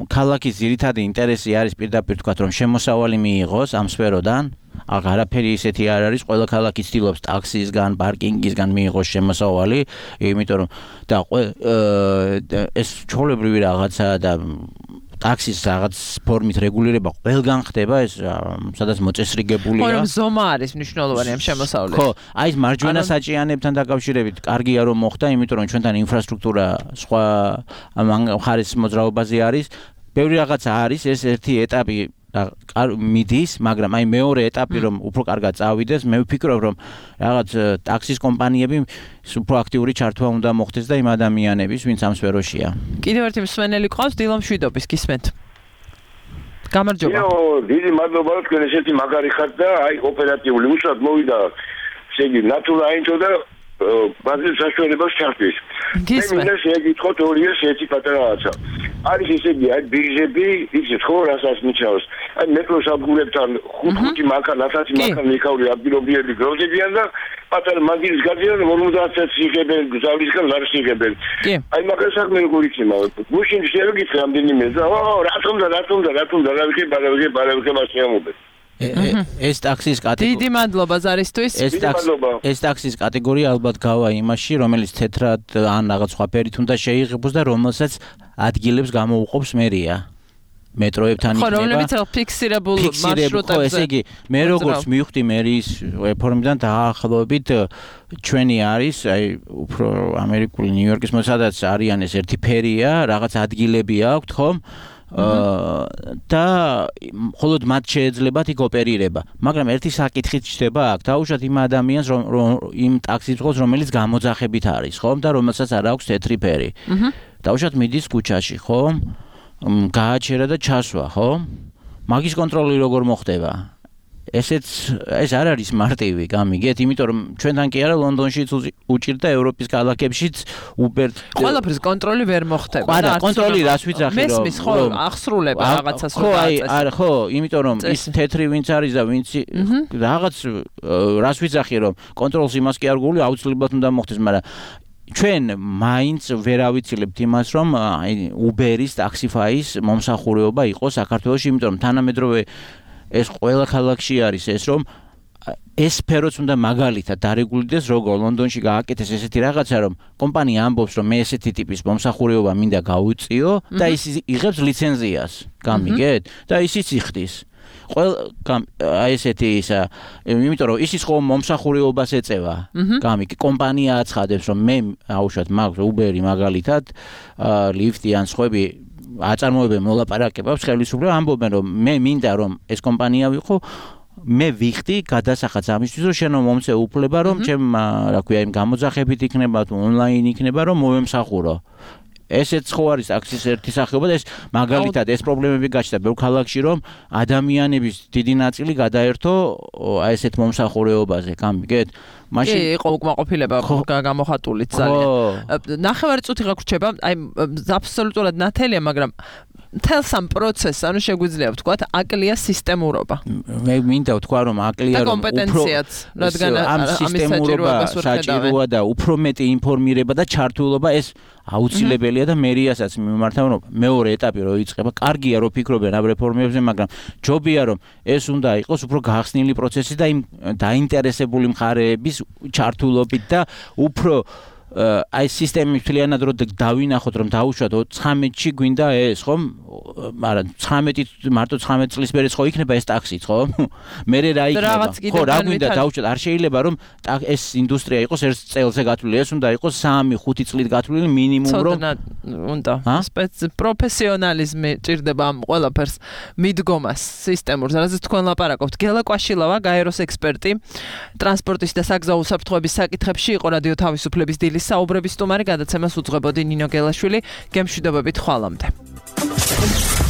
ქალაქის ძირითადი ინტერესი არის პირდაპირ თქვა რომ შემოსავალი მიიღოს ამ სფეროდან აღარაფერი ისეთი არ არის ყველა ქალაქი ცდილობს ტაქსისგან პარკინგისგან მიიღოს შემოსავალი იმიტომ რომ და ეს ჩვეულებრივი რაღაცაა და ტაქსის რაღაც ფორმით რეგულირება ყველგან ხდება ეს სადაც მოწესრიგებულია. ხო, რომ ზომა არის მნიშვნელოვანი ამ შემოსავლით. ხო, აი ეს მარჯვენა საჭიანებთან დაკავშირებით კარგია რომ მოხდა, იმიტომ რომ ჩვენთან ინფრასტრუქტურა სხვა მხარის მოძრაობაზე არის. ბევრი რაღაცა არის, ეს ერთი ეტაპი მიდის, მაგრამ აი მეორე ეტაპი რომ უფრო კარგად წავიდეს, მე ვფიქრობ რომ რაღაც ტაქსის კომპანიები უფრო აქტიური ჩართვა უნდა მოხდეს და იმ ადამიანების, ვინც ამ სფეროშია. კიდევ ერთი მსმენელი ყავს დილამშვიდობის, გისმენთ. გამარჯობა. დიდი მადლობა თქვენ ესეთი მაგარი ხართ და აი ოპერატიული უშუალოდ მოვიდა ესე იგი ნატურაინტო და ბაზრის საშუალებას ჩართვის. მე მინდა შეგიტყოთ ორი ესეთი პატარა რაღაცა. არის ესე იგი აი ბირჟები, იცით ხო რასაც ნიშნავს. აი მეტროს ადგილებთან 5 მანქანა, 10 მანქანა იქაური ადგილობრივი გროვდებიან და პატარა მაგირის გადიან 50 იღებენ, გზავრისგან ლარს იღებენ. აი მაგას საქმე როგორ იქნება? გუშინ შეგიკითხე რამდენიმე და რატომ რა ვიღებ მასიამობენ. ეს ტაქსის კატეგორია. დიდი მადლობა ზარისთვის. ეს ტაქსის კატეგორია ალბათ გავა იმაში, რომელიც თეთრად ან რაღაც სხვა ფერით უნდა შეიღებოს და რომელსაც ადგილებს გამოუყოფს მერია. მეტროებთან იქნება. ხო, რომლებიც ფიქსირებულ მარშრუტებზე. ხო, ესე იგი, მე როგორც მივხვდი მერის რეფორმიდან დაახლოებით ჩვენი არის, აი უფრო ამერიკული ნიუ-იორკის სადაც არიან ეს ერთი ფერია, რაღაც ადგილები აქვთ, ხომ? და მხოლოდ მათ შეეძლებათ იქ ოპერირება. მაგრამ ერთი საკითხიც ჩდება აქ, დაუშვათ იმ ადამიანს, იმ ტაქსის მძღოლს, რომელიც გამოძახებით არის, ხომ? და რომელსაც არ აქვს თეთრი ფერი. დაუშვათ მიდის ქუჩაში, ხომ? გააჩერა და ჩასვა, ხო? მაგის კონტროლი როგორ მოხდება? ეს არ არის მარტივი, გამიგეთ, იმიტომ რომ ჩვენთან კი არა ლონდონშიც უჭირდა ევროპის ქალაქებშიც Uber ყველაფრის კონტროლი ვერ მოხდება. არა, კონტროლი რას ვიძახი რომ მესმის ხო ახსრულება რაღაცას ხო, არა, ხო, იმიტომ რომ ის თეთრი ვინც არის და ვინც რაღაც რას ვიძახი რომ კონტროლს იმას კი არ გული აუცილებლად უნდა მოხდეს, მაგრამ ჩვენ მაინც ვერ ავიცილებთ იმას რომ Uber-ის, Taxify-ის მომსახურება იყოს საქართველოში, იმიტომ რომ თანამედროვე ეს ყველა ქალაქში არის ეს რომ ეს სფეროც უნდა მაგალითად დარეგულირდეს, როგორ ლონდონში გააკეთეს ესეთი რაღაცა, რომ კომპანია ამბობს, რომ მე ესეთი ტიპის მომსახურება მინდა გავუწიო და ის იღებს ლიცენზიას, გამიგეთ? და ისიც იხდის. აი ესეთი ისა, იმიტომ რომ ისიც ხო მომსახურებას ეწევა. გამიგე, კომპანია აცხადებს, რომ მე აუშვათ მაქვს Uber-ი მაგალითად, ლიფტი ან სხვები აწარმოებენ მოლაპარაკებებს, ხელისუფლება ამბობენ, რომ მე მინდა რომ ეს კომპანია ვიყო, მე ვიხდი გადასახადს ამისთვის, რომ შენ მომწე უფლება, რომ ჩემ, რა ქვია, იმ გამოძახებით იქნება თუ ონლაინ იქნება, რომ მოვემსახურო. ესეც ხო არის ტაქსის ერთი სახეობა და ეს მაგალითად ეს პრობლემები გაჩნდა ბევრ ქალაქში, რომ ადამიანების დიდი ნაწილი გადაერთო აი ესეთ მომსახურებაზე, გამიგეთ? მაშინ იყო უკმაყოფილება გამოხატულიც ძალიან. ნახევარი წუთი გაგვრჩება, აი აბსოლუტურად ნათელია, მაგრამ მთელს ამ პროცესს, ანუ შეგვიძლია ვთქვათ, აკლია სისტემურობა. მე მინდა ვთქვა, რომ აკლია რომ კომპეტენციაც, რადგან ამ სისტემურობას საჭიროა და უფრო მეტი ინფორმირება და ჩართულობა ეს აუცილებელია და მერიასაც მიმართავ, რომ მეორე ეტაპი რო იწყება, კარგია რომ ფიქრობენ ამ რეფორმებზე, მაგრამ ჯობია რომ ეს უნდა იყოს უფრო გახსნილი პროცესი და იმ დაინტერესებული მხარეების ჩართულობით და უფრო აი სისტემის მთლიანად რო დავინახოთ, რომ დაუშვათ 19-ში გვინდა ეს, ხო? მაგრამ 19 მარტო 19 წლის მერე ხო იქნება ეს ტაქსიც, ხო? მერე რა იქნება? ხო, რა გვინდა დაუშვათ, არ შეიძლება რომ ეს ინდუსტრია იყოს ერთ წელზე გათვლილი, ეს უნდა იყოს 3-5 წლით გათვლილი მინიმუმ, რომ უნდა პროფესიონალიზმი ჭირდება ამ ყველაფერს მიდგომას სისტემურს. რაზეც თქვენ ლაპარაკობთ, გელა კვაშილავა, გაეროს ექსპერტი, ტრანსპორტის და საგზაო უსაფრთხოების საკითხებში იყო რადიო თავისუფლების დილის საუბრების სტუმარი, გადაცემას უძღვებოდი ნინო გელაშვილი. გემშვიდობებით ხვალამდე.